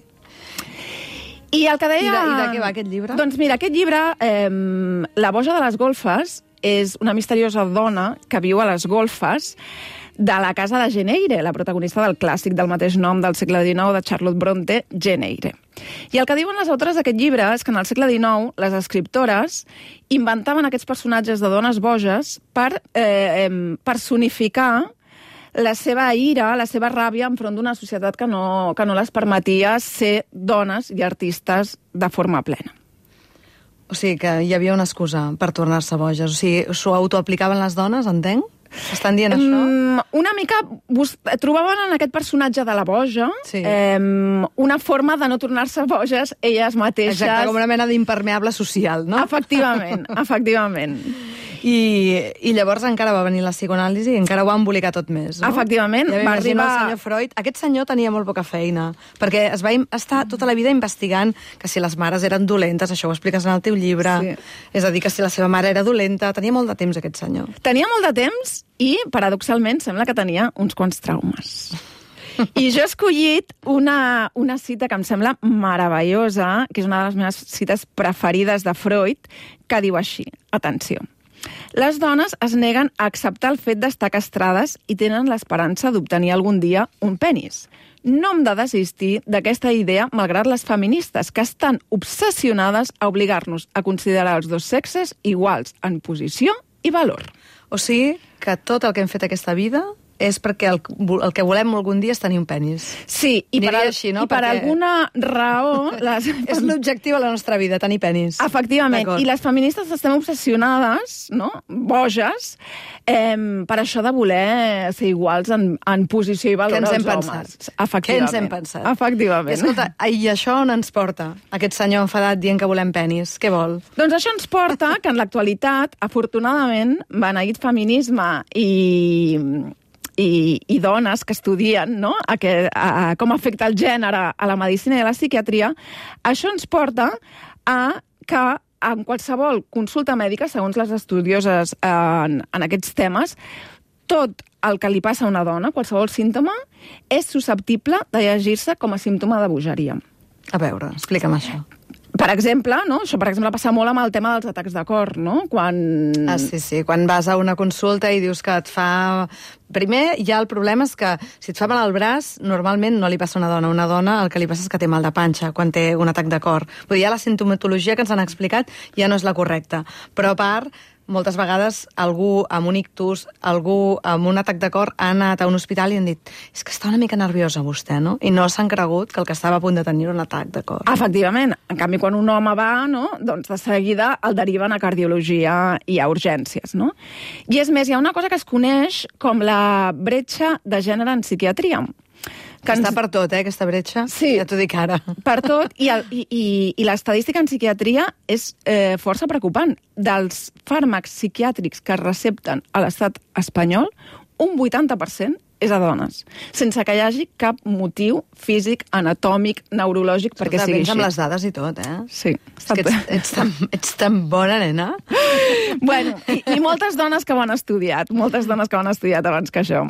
Speaker 10: I el que deia...
Speaker 8: I de, i de què va aquest llibre?
Speaker 10: Doncs mira, aquest llibre, eh, La boja de les golfes, és una misteriosa dona que viu a les golfes de la casa de Jane Eyre, la protagonista del clàssic del mateix nom del segle dinou de Charlotte Bronte, Jane Eyre. I el que diuen les autores d'aquest llibre és que en el segle dinou les escriptores inventaven aquests personatges de dones boges per eh, personificar la seva ira, la seva ràbia enfront d'una societat que no, que no les permetia ser dones i artistes de forma plena.
Speaker 8: O sigui, que hi havia una excusa per tornar-se boges. O sigui, s'ho autoaplicaven les dones, entenc? Estan dient això?
Speaker 10: Mm, una mica trobaven en aquest personatge de la boja sí. eh, una forma de no tornar-se boges elles mateixes.
Speaker 8: Exacte, com una mena d'impermeable social, no?
Speaker 10: Efectivament, efectivament.
Speaker 8: I, I llavors encara va venir la psicoanàlisi i encara ho va embolicar tot més, no?
Speaker 10: Efectivament.
Speaker 8: Ja va arribar el senyor Freud. Aquest senyor tenia molt poca feina, perquè es va estar tota la vida investigant que si les mares eren dolentes, això ho expliques en el teu llibre, sí. És a dir, que si la seva mare era dolenta, tenia molt de temps aquest senyor.
Speaker 10: Tenia molt de temps i, paradoxalment, sembla que tenia uns quants traumes. I jo he escollit una, una cita que em sembla meravellosa, que és una de les meves cites preferides de Freud, que diu així, atenció: les dones es neguen a acceptar el fet d'estar castrades i tenen l'esperança d'obtenir algun dia un penis. No hem de desistir d'aquesta idea malgrat les feministes, que estan obsessionades a obligar-nos a considerar els dos sexes iguals en posició i valor.
Speaker 8: O sigui, que tot el que hem fet aquesta vida és perquè el, el que volem algun dia és tenir un penis.
Speaker 10: Sí, i per, al, així, no? i per perquè... alguna raó... Les...
Speaker 8: és l'objectiu de la nostra vida, tenir penis.
Speaker 10: Efectivament, i les feministes estem obsessionades, no? Boges, eh, per això de voler ser iguals en, en posició i valor als homes.
Speaker 8: Pensat?
Speaker 10: Efectivament.
Speaker 8: Què ens hem pensat?
Speaker 10: Efectivament.
Speaker 8: I, escolta, i això on ens porta? Aquest senyor enfadat dient que volem penis. Què vol?
Speaker 10: Doncs això ens porta que en l'actualitat, afortunadament, beneït feminisme i... I, i dones que estudien no? a que, a, a com afecta el gènere a la medicina i a la psiquiatria, això ens porta a que en qualsevol consulta mèdica, segons les estudioses en, en aquests temes, tot el que li passa a una dona, qualsevol símptoma, és susceptible de llegir-se com a símptoma de bogeria.
Speaker 8: A veure, explica'm això.
Speaker 10: Per exemple, no? Això per exemple passa molt amb el tema dels atacs de cor, no? Quan...
Speaker 8: Ah, sí, sí, quan vas a una consulta i dius que et fa... Primer, ja el problema és que si et fa mal al braç, normalment no li passa a una dona. Una dona el que li passa és que té mal de panxa quan té un atac de cor. Vull dir, ja la sintomatologia que ens han explicat ja no és la correcta. Però a part, moltes vegades algú amb un ictus, algú amb un atac de cor ha anat a un hospital i han dit és que està una mica nerviosa vostè, no? I no s'han cregut que el que estava a punt de tenir un atac de cor.
Speaker 10: Efectivament. En canvi, quan un home va, no? Doncs de seguida el deriven a cardiologia i a urgències, no? I és més, hi ha una cosa que es coneix com la bretxa de gènere en psiquiatria.
Speaker 8: Que ens... Està per tot, eh, aquesta bretxa?
Speaker 10: Sí.
Speaker 8: Ja t'ho dic ara.
Speaker 10: Per tot, i, el, i, i, i l'estadística en psiquiatria és eh, força preocupant. Dels fàrmacs psiquiàtrics que es recepten a l'estat espanyol, un vuitanta per cent és a dones, sense que hi hagi cap motiu físic, anatòmic, neurològic perquè sigui així.
Speaker 8: Amb les dades i tot, eh?
Speaker 10: Sí.
Speaker 8: És que ets, ets, tan, ets tan bona, nena.
Speaker 10: Bueno, i, i moltes dones que ho han estudiat, moltes dones que ho han estudiat abans que això.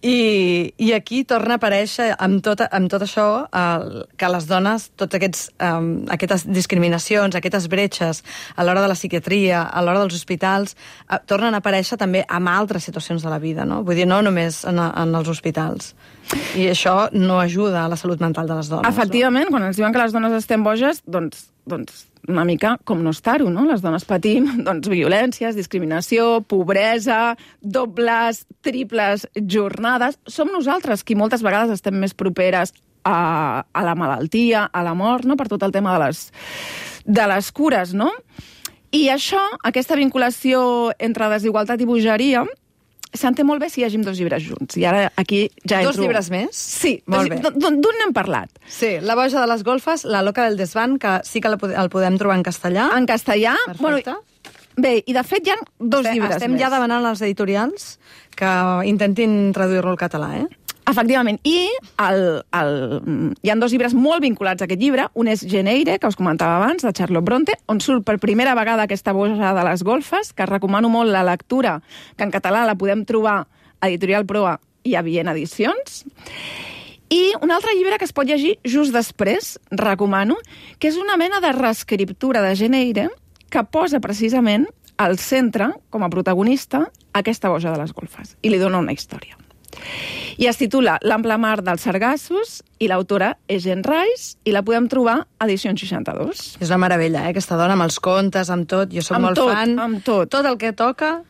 Speaker 8: I, i aquí torna a aparèixer amb tot, amb tot això el, que les dones, tots aquests um, aquestes discriminacions, aquestes bretxes a l'hora de la psiquiatria, a l'hora dels hospitals, uh, tornen a aparèixer també en altres situacions de la vida, no? Vull dir, no només en, en els hospitals. I això no ajuda a la salut mental de les dones.
Speaker 10: Efectivament, no? Quan ens diuen que les dones estem boges, doncs, doncs una mica com no estar-ho, no? Les dones patim doncs, violències, discriminació, pobresa, dobles, triples jornades. Som nosaltres qui moltes vegades estem més properes a, a la malaltia, a la mort, no? Per tot el tema de les, de les cures, no? I això, aquesta vinculació entre desigualtat i bogeria, s'entén molt bé si llegim dos llibres junts. I ara aquí ja entro...
Speaker 8: Dos llibres més?
Speaker 10: Sí,
Speaker 8: molt bé.
Speaker 10: D'un n'hem parlat.
Speaker 8: Sí, La boja de les golfes, La loca del desván, que sí que el podem trobar en castellà.
Speaker 10: En castellà?
Speaker 8: Perfecte.
Speaker 10: Bueno, bé, i de fet hi ha dos
Speaker 8: Estem,
Speaker 10: llibres
Speaker 8: estem
Speaker 10: més.
Speaker 8: ja demanant als editorials que intentin traduir-lo al català, eh?
Speaker 10: Efectivament. I el, el, hi ha dos llibres molt vinculats a aquest llibre. Un és Jane Eyre, que us comentava abans, de Charlotte Bronte, on surt per primera vegada aquesta boja de les golfes, que recomano molt la lectura, que en català la podem trobar a Editorial Proa i a Viena Edicions. I un altre llibre que es pot llegir just després, recomano, que és una mena de reescriptura de Jane Eyre que posa precisament al centre, com a protagonista, aquesta boja de les golfes. I li dona una història. I es titula L'ample mar dels sargassos i l'autora és Jean Rice i la podem trobar a Edicions seixanta-dos.
Speaker 8: És una meravella, eh? Aquesta dona amb els contes, amb tot. Jo soc
Speaker 10: amb
Speaker 8: molt
Speaker 10: tot,
Speaker 8: fan.
Speaker 10: Amb tot.
Speaker 8: Tot el que toca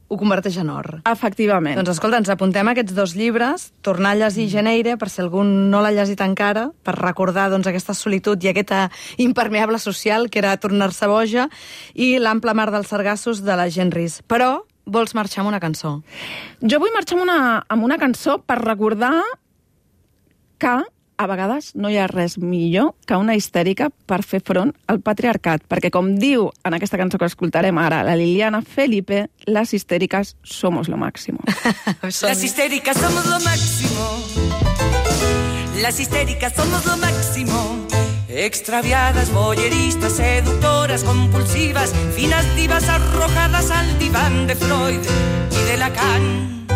Speaker 8: ho converteix en or.
Speaker 10: Efectivament.
Speaker 8: Doncs escolta, ens apuntem aquests dos llibres, tornar a llegir Jane Eyre, per si algú no l'ha llegit encara, per recordar doncs, aquesta solitud i aquesta impermeable social que era tornar-se boja, i L'ample mar dels sargassos de la Jean Rice. Però vols marxar amb una cançó?
Speaker 10: Jo vull marxar amb una, amb una cançó per recordar que a vegades no hi ha res millor que una histèrica per fer front al patriarcat, perquè com diu en aquesta cançó que escoltarem ara la Liliana Felipe, las histéricas somos lo máximo.
Speaker 13: Las histéricas somos lo máximo. Las histéricas somos lo máximo. Extraviadas, boyeristas, seductoras, compulsivas, finas divas arrojadas al diván de Freud y de Lacan.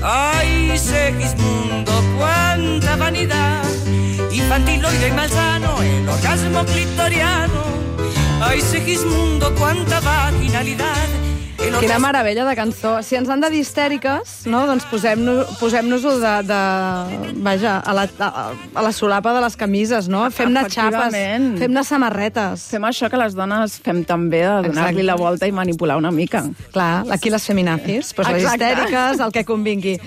Speaker 13: ¡Ay, Segismundo, cuánta vanidad! Infantiloide y malsano, el orgasmo clitoriano. ¡Ay, Segismundo, cuánta vaginalidad!
Speaker 8: Quina meravella de cançó. Si ens han de dir histèriques, no? Doncs posem-nos- posem-nos-ho de, de, vaja, a la, a, a la solapa de les camises, no? Fem-ne xapes,
Speaker 10: Efectivament.
Speaker 8: fem-ne samarretes.
Speaker 10: Fem això que les dones fem també, de donar-li la volta i manipular una mica.
Speaker 8: Clar, aquí les feminazis, doncs les
Speaker 10: Exacte.
Speaker 8: histèriques, el que convingui.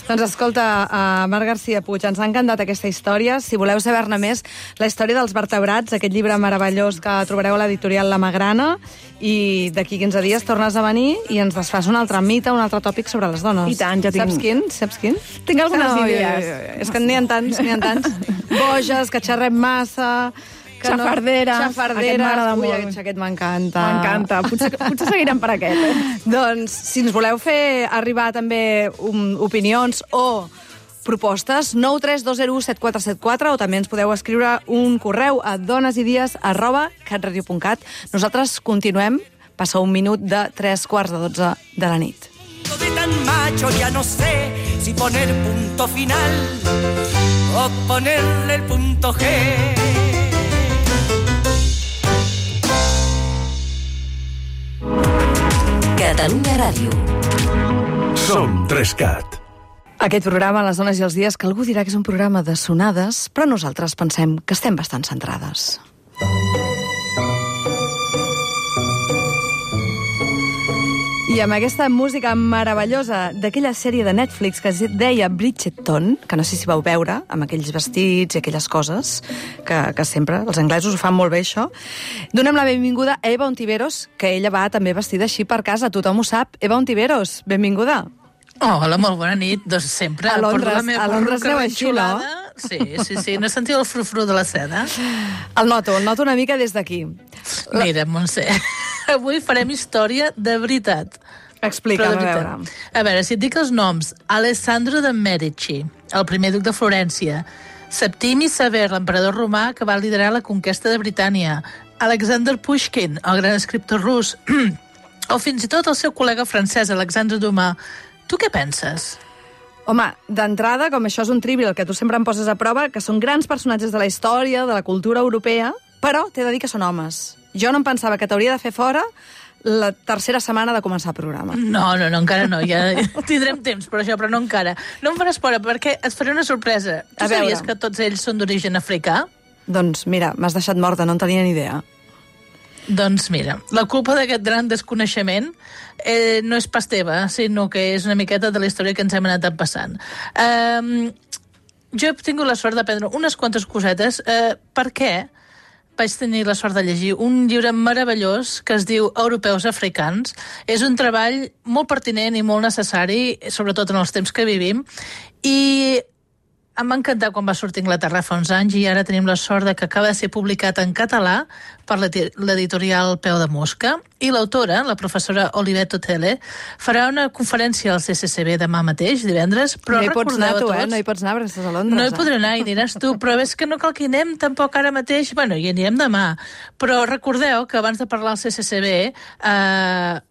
Speaker 8: Doncs escolta, uh, Marc García Puig, ens ha encantat aquesta història. Si voleu saber-ne més, la història dels vertebrats, aquest llibre meravellós que trobareu a l'editorial La Magrana, i d'aquí quinze dies tornes a venir i ens desfas un altre mite, un altre tòpic sobre les dones.
Speaker 10: I tant, ja tinc-
Speaker 8: Saps quin? Saps quin?
Speaker 10: Tinc algunes
Speaker 8: No,
Speaker 10: idees.
Speaker 8: jo, jo, jo. És que n'hi ha tants, n'hi ha tants. Boges, que xerrem massa... Que
Speaker 10: Xafarderes,
Speaker 8: no...
Speaker 10: aquest
Speaker 8: Xafarderes.
Speaker 10: m'agrada
Speaker 8: Ui,
Speaker 10: molt.
Speaker 8: aquest xaquet m'encanta.
Speaker 10: M'encanta. Potser, potser seguirem per aquest, eh?
Speaker 8: Doncs, si ens voleu fer arribar també um, opinions o propostes, nou tres dos zero u set quatre set quatre, o també ens podeu escriure un correu a donesidies arroba catradio punt cat. Nosaltres continuem, passa un minut de tres quarts de dotze de la nit.
Speaker 13: De tan macho ya no sé si poner punto final o ponerle el punto G.
Speaker 14: Catalunya Ràdio.
Speaker 5: Som Trescat.
Speaker 8: Aquest programa, Les dones i els dies, que algú dirà que és un programa de sonades, però nosaltres pensem que estem bastant centrades. I amb aquesta música meravellosa d'aquella sèrie de Netflix que es deia Bridgerton, que no sé si vau veure, amb aquells vestits i aquelles coses, que, que sempre, els anglesos ho fan molt bé, això, donem la benvinguda a Eva Ontiveros, que ella va també vestida així per casa, tothom ho sap. Eva Ontiveros, benvinguda.
Speaker 15: Hola, molt bona nit. Doncs sempre
Speaker 8: A Londres-
Speaker 15: porto la meva
Speaker 8: a Londres
Speaker 15: perruca
Speaker 8: aneu així, no?
Speaker 15: renxolada. Sí, sí, sí. No sentiu el frufru de la seda?
Speaker 8: El noto, el noto una mica des d'aquí.
Speaker 15: Mira, Montse, avui farem història de veritat.
Speaker 8: Explica'm,
Speaker 15: Però de
Speaker 8: a
Speaker 15: veritat.
Speaker 8: veure.
Speaker 15: A veure, si et dic els noms. Alessandro de Medici, el primer duc de Florència. Septimi Sever, l'emperador romà que va liderar la conquesta de Britània. Alexander Pushkin, el gran escriptor rus. O fins i tot el seu col·lega francès, Alexandre Dumas. Tu què penses?
Speaker 8: Home, d'entrada, com això és un trivial que tu sempre em poses a prova, que són grans personatges de la història, de la cultura europea, però t'he de dir que són homes. Jo no em pensava que t'hauria de fer fora la tercera setmana de començar el programa.
Speaker 15: No, no, no, encara no. Ja tindrem temps per això, però no encara. No em faràs por, perquè et faré una sorpresa. Tu sabies que tots ells són d'origen africà?
Speaker 8: Doncs mira, m'has deixat morta, no en tenia ni idea.
Speaker 15: Doncs mira, la culpa d'aquest gran desconeixement eh, no és pas teva, sinó que és una miqueta de la història que ens hem anat passant. Eh, jo he tingut la sort d'aprendre unes quantes cosetes eh, perquè vaig tenir la sort de llegir un llibre meravellós que es diu Europeus africans. És un treball molt pertinent i molt necessari, sobretot en els temps que vivim, i em va encantar quan va sortir a Anglaterra fa uns anys i ara tenim la sort de que acaba de ser publicat en català per l'editorial Peu de Mosca, i l'autora, la professora Olivette Otele, farà una conferència al C C C B demà mateix, divendres, però
Speaker 8: no hi pots anar tu,
Speaker 15: tots,
Speaker 8: eh? No hi pots anar perquè estàs a Londres.
Speaker 15: No hi podré anar i aniràs tu, però és que no cal que hi anem tampoc ara mateix, bueno, hi anirem demà, però recordeu que abans de parlar al C C C B eh,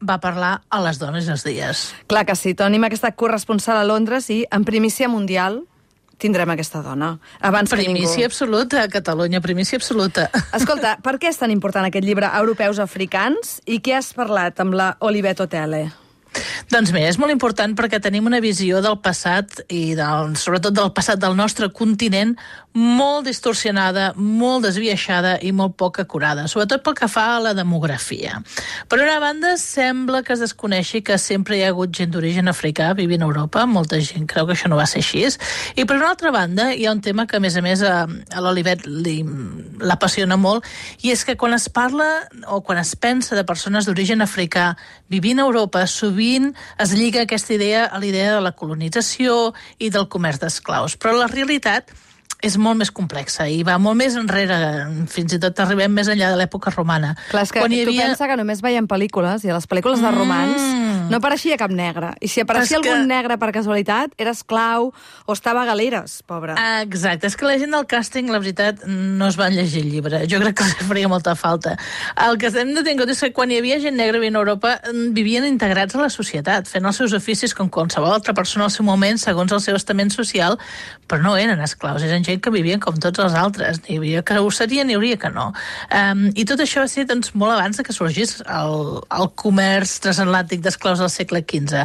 Speaker 15: va parlar a les dones i els dies.
Speaker 8: Clar que sí, tenim aquesta corresponsal a Londres i en primícia mundial tindrem aquesta dona. Abans
Speaker 15: primícia absoluta, a Catalunya, primícia absoluta.
Speaker 8: Escolta, per què és tan important aquest llibre Europeus africans i què has parlat amb la Olivette Otele?
Speaker 15: Doncs mira, és molt important perquè tenim una visió del passat i del, sobretot del passat del nostre continent molt distorsionada, molt desviaixada i molt poc acurada, sobretot pel que fa a la demografia. Per una banda, sembla que es desconeixi que sempre hi ha hagut gent d'origen africà vivint a Europa, molta gent creu que això no va ser així, i per una altra banda hi ha un tema que a més a més a, a l'Olivet l'apassiona molt, i és que quan es parla o quan es pensa de persones d'origen africà vivint a Europa, sovint es lliga aquesta idea a l'idea de la colonització i del comerç d'esclaus, però la realitat és molt més complexa i va molt més enrere, fins i tot arribem més enllà de l'època romana.
Speaker 8: Clar, és que
Speaker 15: Quan hi
Speaker 8: tu
Speaker 15: havia...
Speaker 8: pensa que només veiem pel·lícules, i a les pel·lícules de romans mm. no apareixia cap negre. I si apareixia
Speaker 15: és
Speaker 8: algun
Speaker 15: que...
Speaker 8: negre per casualitat, era esclau o estava a galeres, pobre.
Speaker 15: Exacte, és que la gent del càsting, la veritat, no es van llegir el llibre. Jo crec que els faria molta falta. El que hem de tenir en compte és que quan hi havia gent negra vivint a Europa, vivien integrats a la societat, fent els seus oficis com qualsevol altra persona al seu moment, segons el seu estament social, però no eren esclaus, eren gent que vivien com tots els altres. N'hi havia que ho serien, n'hi hauria que no. Um, I tot això va ser doncs, molt abans que sorgís el, el comerç transatlàntic d'esclaus del segle quinze.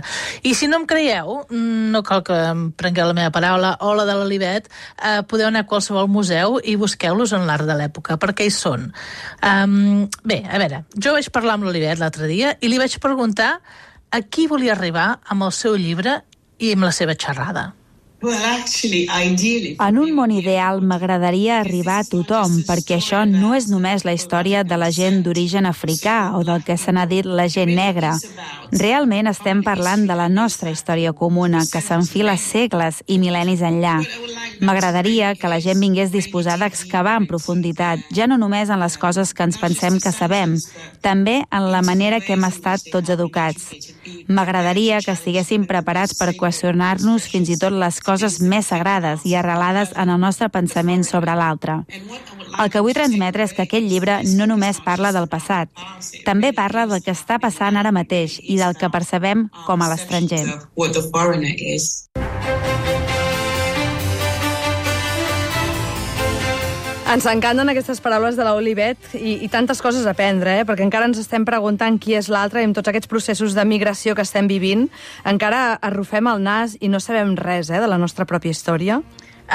Speaker 15: I si no em creieu, no cal que em prengueu la meva paraula o la de l'Olivet, uh, podeu anar a qualsevol museu i busqueu-los en l'art de l'època, perquè hi són. Um, bé, a veure, jo vaig parlar amb l'Olivet l'altre dia i li vaig preguntar a qui volia arribar amb el seu llibre i amb la seva xerrada.
Speaker 16: En un món ideal m'agradaria arribar a tothom, perquè això no és només la història de la gent d'origen africà o del que se n'ha dit la gent negra. Realment estem parlant de la nostra història comuna, que s'enfila segles i mil·lennis enllà. M'agradaria que la gent vingués disposada a excavar en profunditat, ja no només en les coses que ens pensem que sabem, també en la manera que hem estat tots educats. M'agradaria que estiguéssim preparats per qüestionar-nos fins i tot les coses més sagrades i arrelades en el nostre pensament sobre l'altre. El que vull transmetre és que aquest llibre no només parla del passat, també parla del que està passant ara mateix i del que percebem com a l'estranger.
Speaker 8: Ens encanten aquestes paraules de l'Olivet i, i tantes coses a aprendre, eh? Perquè encara ens estem preguntant qui és l'altre i amb tots aquests processos de migració que estem vivint, encara arrufem el nas i no sabem res eh, de la nostra pròpia història.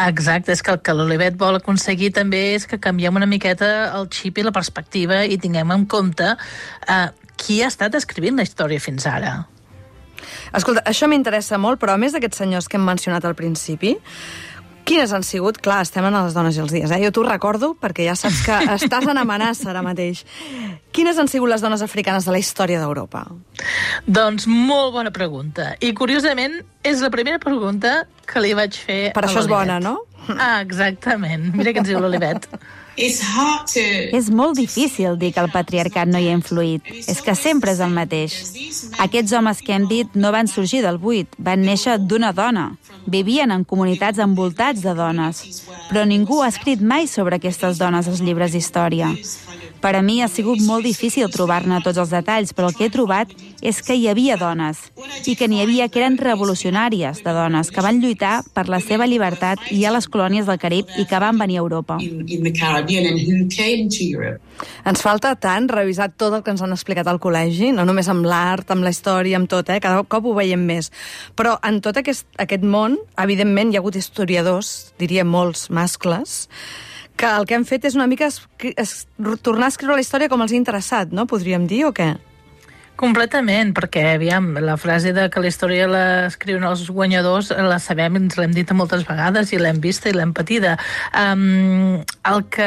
Speaker 15: Exacte, és que el que l'Olivet vol aconseguir també és que canviem una miqueta el xip i la perspectiva i tinguem en compte eh, qui ha estat escrivint la història fins ara.
Speaker 8: Escolta, això m'interessa molt, però a més d'aquests senyors que hem mencionat al principi, quines han sigut? Clar, estem en les dones i els dies, eh? Jo t'ho recordo perquè ja saps que estàs en amenaça ara mateix. Quines han sigut les dones africanes de la història d'Europa?
Speaker 15: Doncs molt bona pregunta. I curiosament és la primera pregunta que li vaig fer
Speaker 8: per
Speaker 15: a
Speaker 8: això és bona,
Speaker 15: l'Olivet.
Speaker 8: no?
Speaker 15: Ah, exactament. Mira què ens diu l'Olivet.
Speaker 16: És molt difícil dir que el patriarcat no hi ha influït. És que sempre és el mateix. Aquests homes que hem dit no van sorgir del buit, van néixer d'una dona. Vivien en comunitats envoltats de dones. Però ningú ha escrit mai sobre aquestes dones als llibres d'història. Per a mi ha sigut molt difícil trobar-ne tots els detalls, però el que he trobat és que hi havia dones, i que n'hi havia que eren revolucionàries de dones, que van lluitar per la seva llibertat i a les colònies del Carib i que van venir a Europa.
Speaker 8: Ens falta tant revisar tot el que ens han explicat al col·legi, no només amb l'art, amb la història, amb tot, eh? Cada cop ho veiem més. Però en tot aquest, aquest món, evidentment, hi ha hagut historiadors, diria molts mascles, que el que han fet és una mica es, es, tornar a escriure la història com els ha interessat, no? Podríem dir, o què?
Speaker 15: Completament, perquè, aviam, la frase de que la història l'escriuen els guanyadors la sabem, ens l'hem dit moltes vegades i l'hem vista i l'hem patida. Um, el que,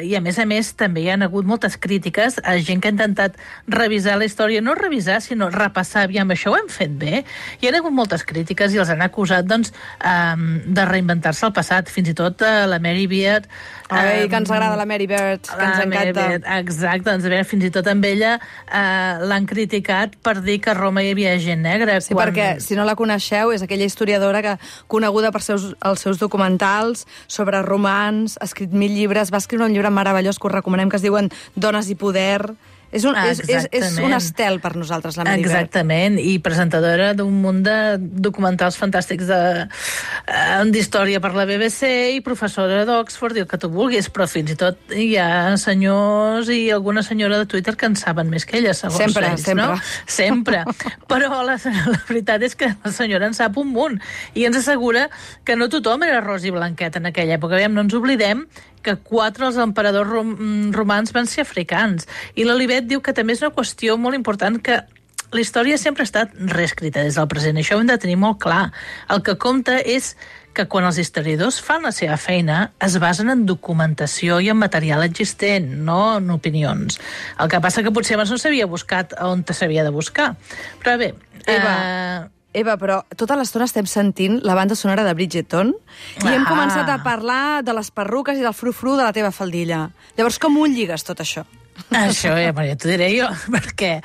Speaker 15: I a més a més també hi ha hagut moltes crítiques a gent que ha intentat revisar la història, no revisar, sinó repassar, aviam, això ho hem fet bé. Hi ha hagut moltes crítiques i els han acusat, doncs, um, de reinventar-se el passat, fins i tot uh, la Mary Beard.
Speaker 8: Ai, um, que ens agrada la Mary Beard, que ens encanta.
Speaker 15: Beard, exacte, doncs, a veure, fins i tot amb ella uh, l'han criticat per dir que a Roma hi havia gent negra.
Speaker 8: Sí, quan... perquè, si no la coneixeu, és aquella historiadora que, coneguda per seus, els seus documentals sobre romans, ha escrit mil llibres, va escriure un llibre meravellós que us recomanem, que es diuen Dones i poder. És un, és, és, és un estel per nosaltres, la Mary Beard.
Speaker 15: Exactament, i presentadora d'un munt de documentals fantàstics d'història per la B B C i professora d'Oxford, i el que tu vulguis, però fins i tot hi ha senyors i alguna senyora de Twitter que en saben més que ella, segons
Speaker 8: sempre,
Speaker 15: ells,
Speaker 8: sempre.
Speaker 15: no? Sempre. Però la, la veritat és que la senyora en sap un munt i ens assegura que no tothom era ros i blanquet en aquella època. Aviam, no ens oblidem que quatre dels emperadors rom romans van ser africans. I l'Olivet diu que també és una qüestió molt important, que la història sempre ha estat reescrita des del present. Això ho hem de tenir molt clar. El que compta és que quan els historiadors fan la seva feina es basen en documentació i en material existent, no en opinions. El que passa que potser abans no s'havia buscat on s'havia de buscar. Però bé...
Speaker 8: Eva,
Speaker 15: eh...
Speaker 8: Eva, però tota l'estona estem sentint la banda sonora de Bridgerton i ah. hem començat a parlar de les perruques i del frufru de la teva faldilla. Llavors, com ho lligues tot això?
Speaker 15: Això ja, ja t'ho diré jo, perquè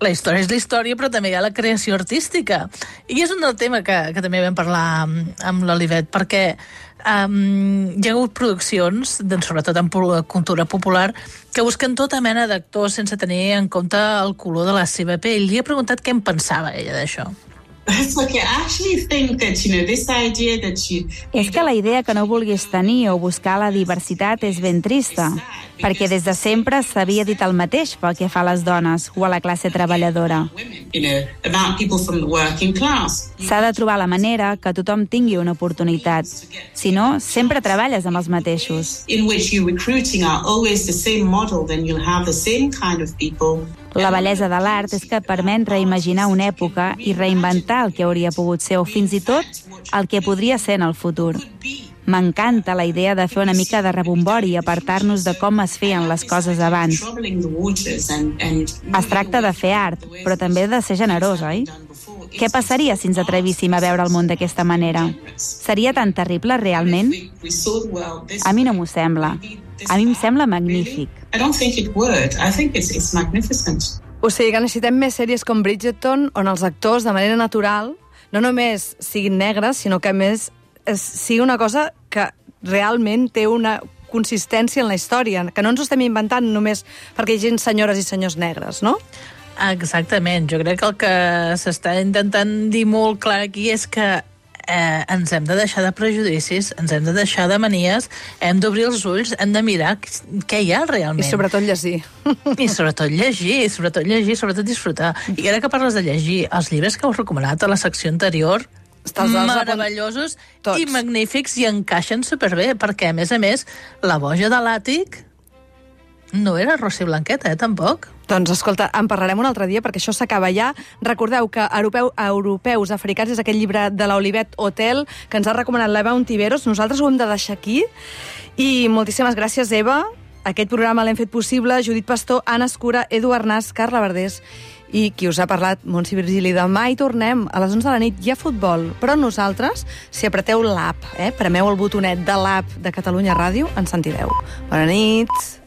Speaker 15: la història és la història, però també hi ha la creació artística. I és un del tema que, que també vam parlar amb, amb l'Olivet, perquè um, hi ha hagut produccions, doncs, sobretot en cultura popular, que busquen tota mena d'actors sense tenir en compte el color de la seva pell. Li he preguntat què en pensava ella d'això.
Speaker 16: És que la idea que no vulguis tenir o buscar la diversitat és ben trista, perquè des de sempre s'havia dit el mateix pel que fa a les dones o a la classe treballadora. S'ha de trobar la manera que tothom tingui una oportunitat. Si no, sempre treballes amb els mateixos. La bellesa de l'art és que permet reimaginar una època i reinventar el que hauria pogut ser o fins i tot el que podria ser en el futur. M'encanta la idea de fer una mica de rebombori i apartar-nos de com es feien les coses abans. Es tracta de fer art, però també de ser generós, oi? Què passaria si ens atrevíssim a veure el món d'aquesta manera? Seria tan terrible, realment? A mi no m'ho sembla. A mi em sembla magnífic.
Speaker 8: O sigui que necessitem més sèries com Bridgerton, on els actors, de manera natural, no només siguin negres, sinó que a més es, sigui una cosa que realment té una consistència en la història, que no ens ho estem inventant només perquè hi hagi senyores i senyors negres, no?
Speaker 15: Exactament. Jo crec que el que s'està intentant dir molt clar aquí és que eh, ens hem de deixar de prejudicis, ens hem de deixar de manies, hem d'obrir els ulls, hem de mirar què hi ha realment.
Speaker 8: I sobretot llegir.
Speaker 15: I sobretot llegir, sobretot llegir, sobretot disfrutar. I ara que parles de llegir, els llibres que heu recomanat a la secció anterior, meravellosos i magnífics i encaixen superbé, perquè a més a més, la boja de l'àtic no era Rossi Blanqueta, eh, tampoc.
Speaker 8: Doncs, escolta, en parlarem un altre dia, perquè això s'acaba ja. Recordeu que Europeu, Europeus Africans és aquell llibre de l'Olivet Hotel que ens ha recomanat l'Eva Ontiveros. Nosaltres ho hem de deixar aquí. I moltíssimes gràcies, Eva. Aquest programa l'hem fet possible. Judit Pastor, Anna Escura, Edu Arnàs, Carla Verdés i qui us ha parlat, Montse Virgili. Demà hi tornem. A les onze de la nit hi ha futbol. Però nosaltres, si apreteu l'app, eh, premeu el botonet de l'app de Catalunya Ràdio, ens sentireu. Bona nit.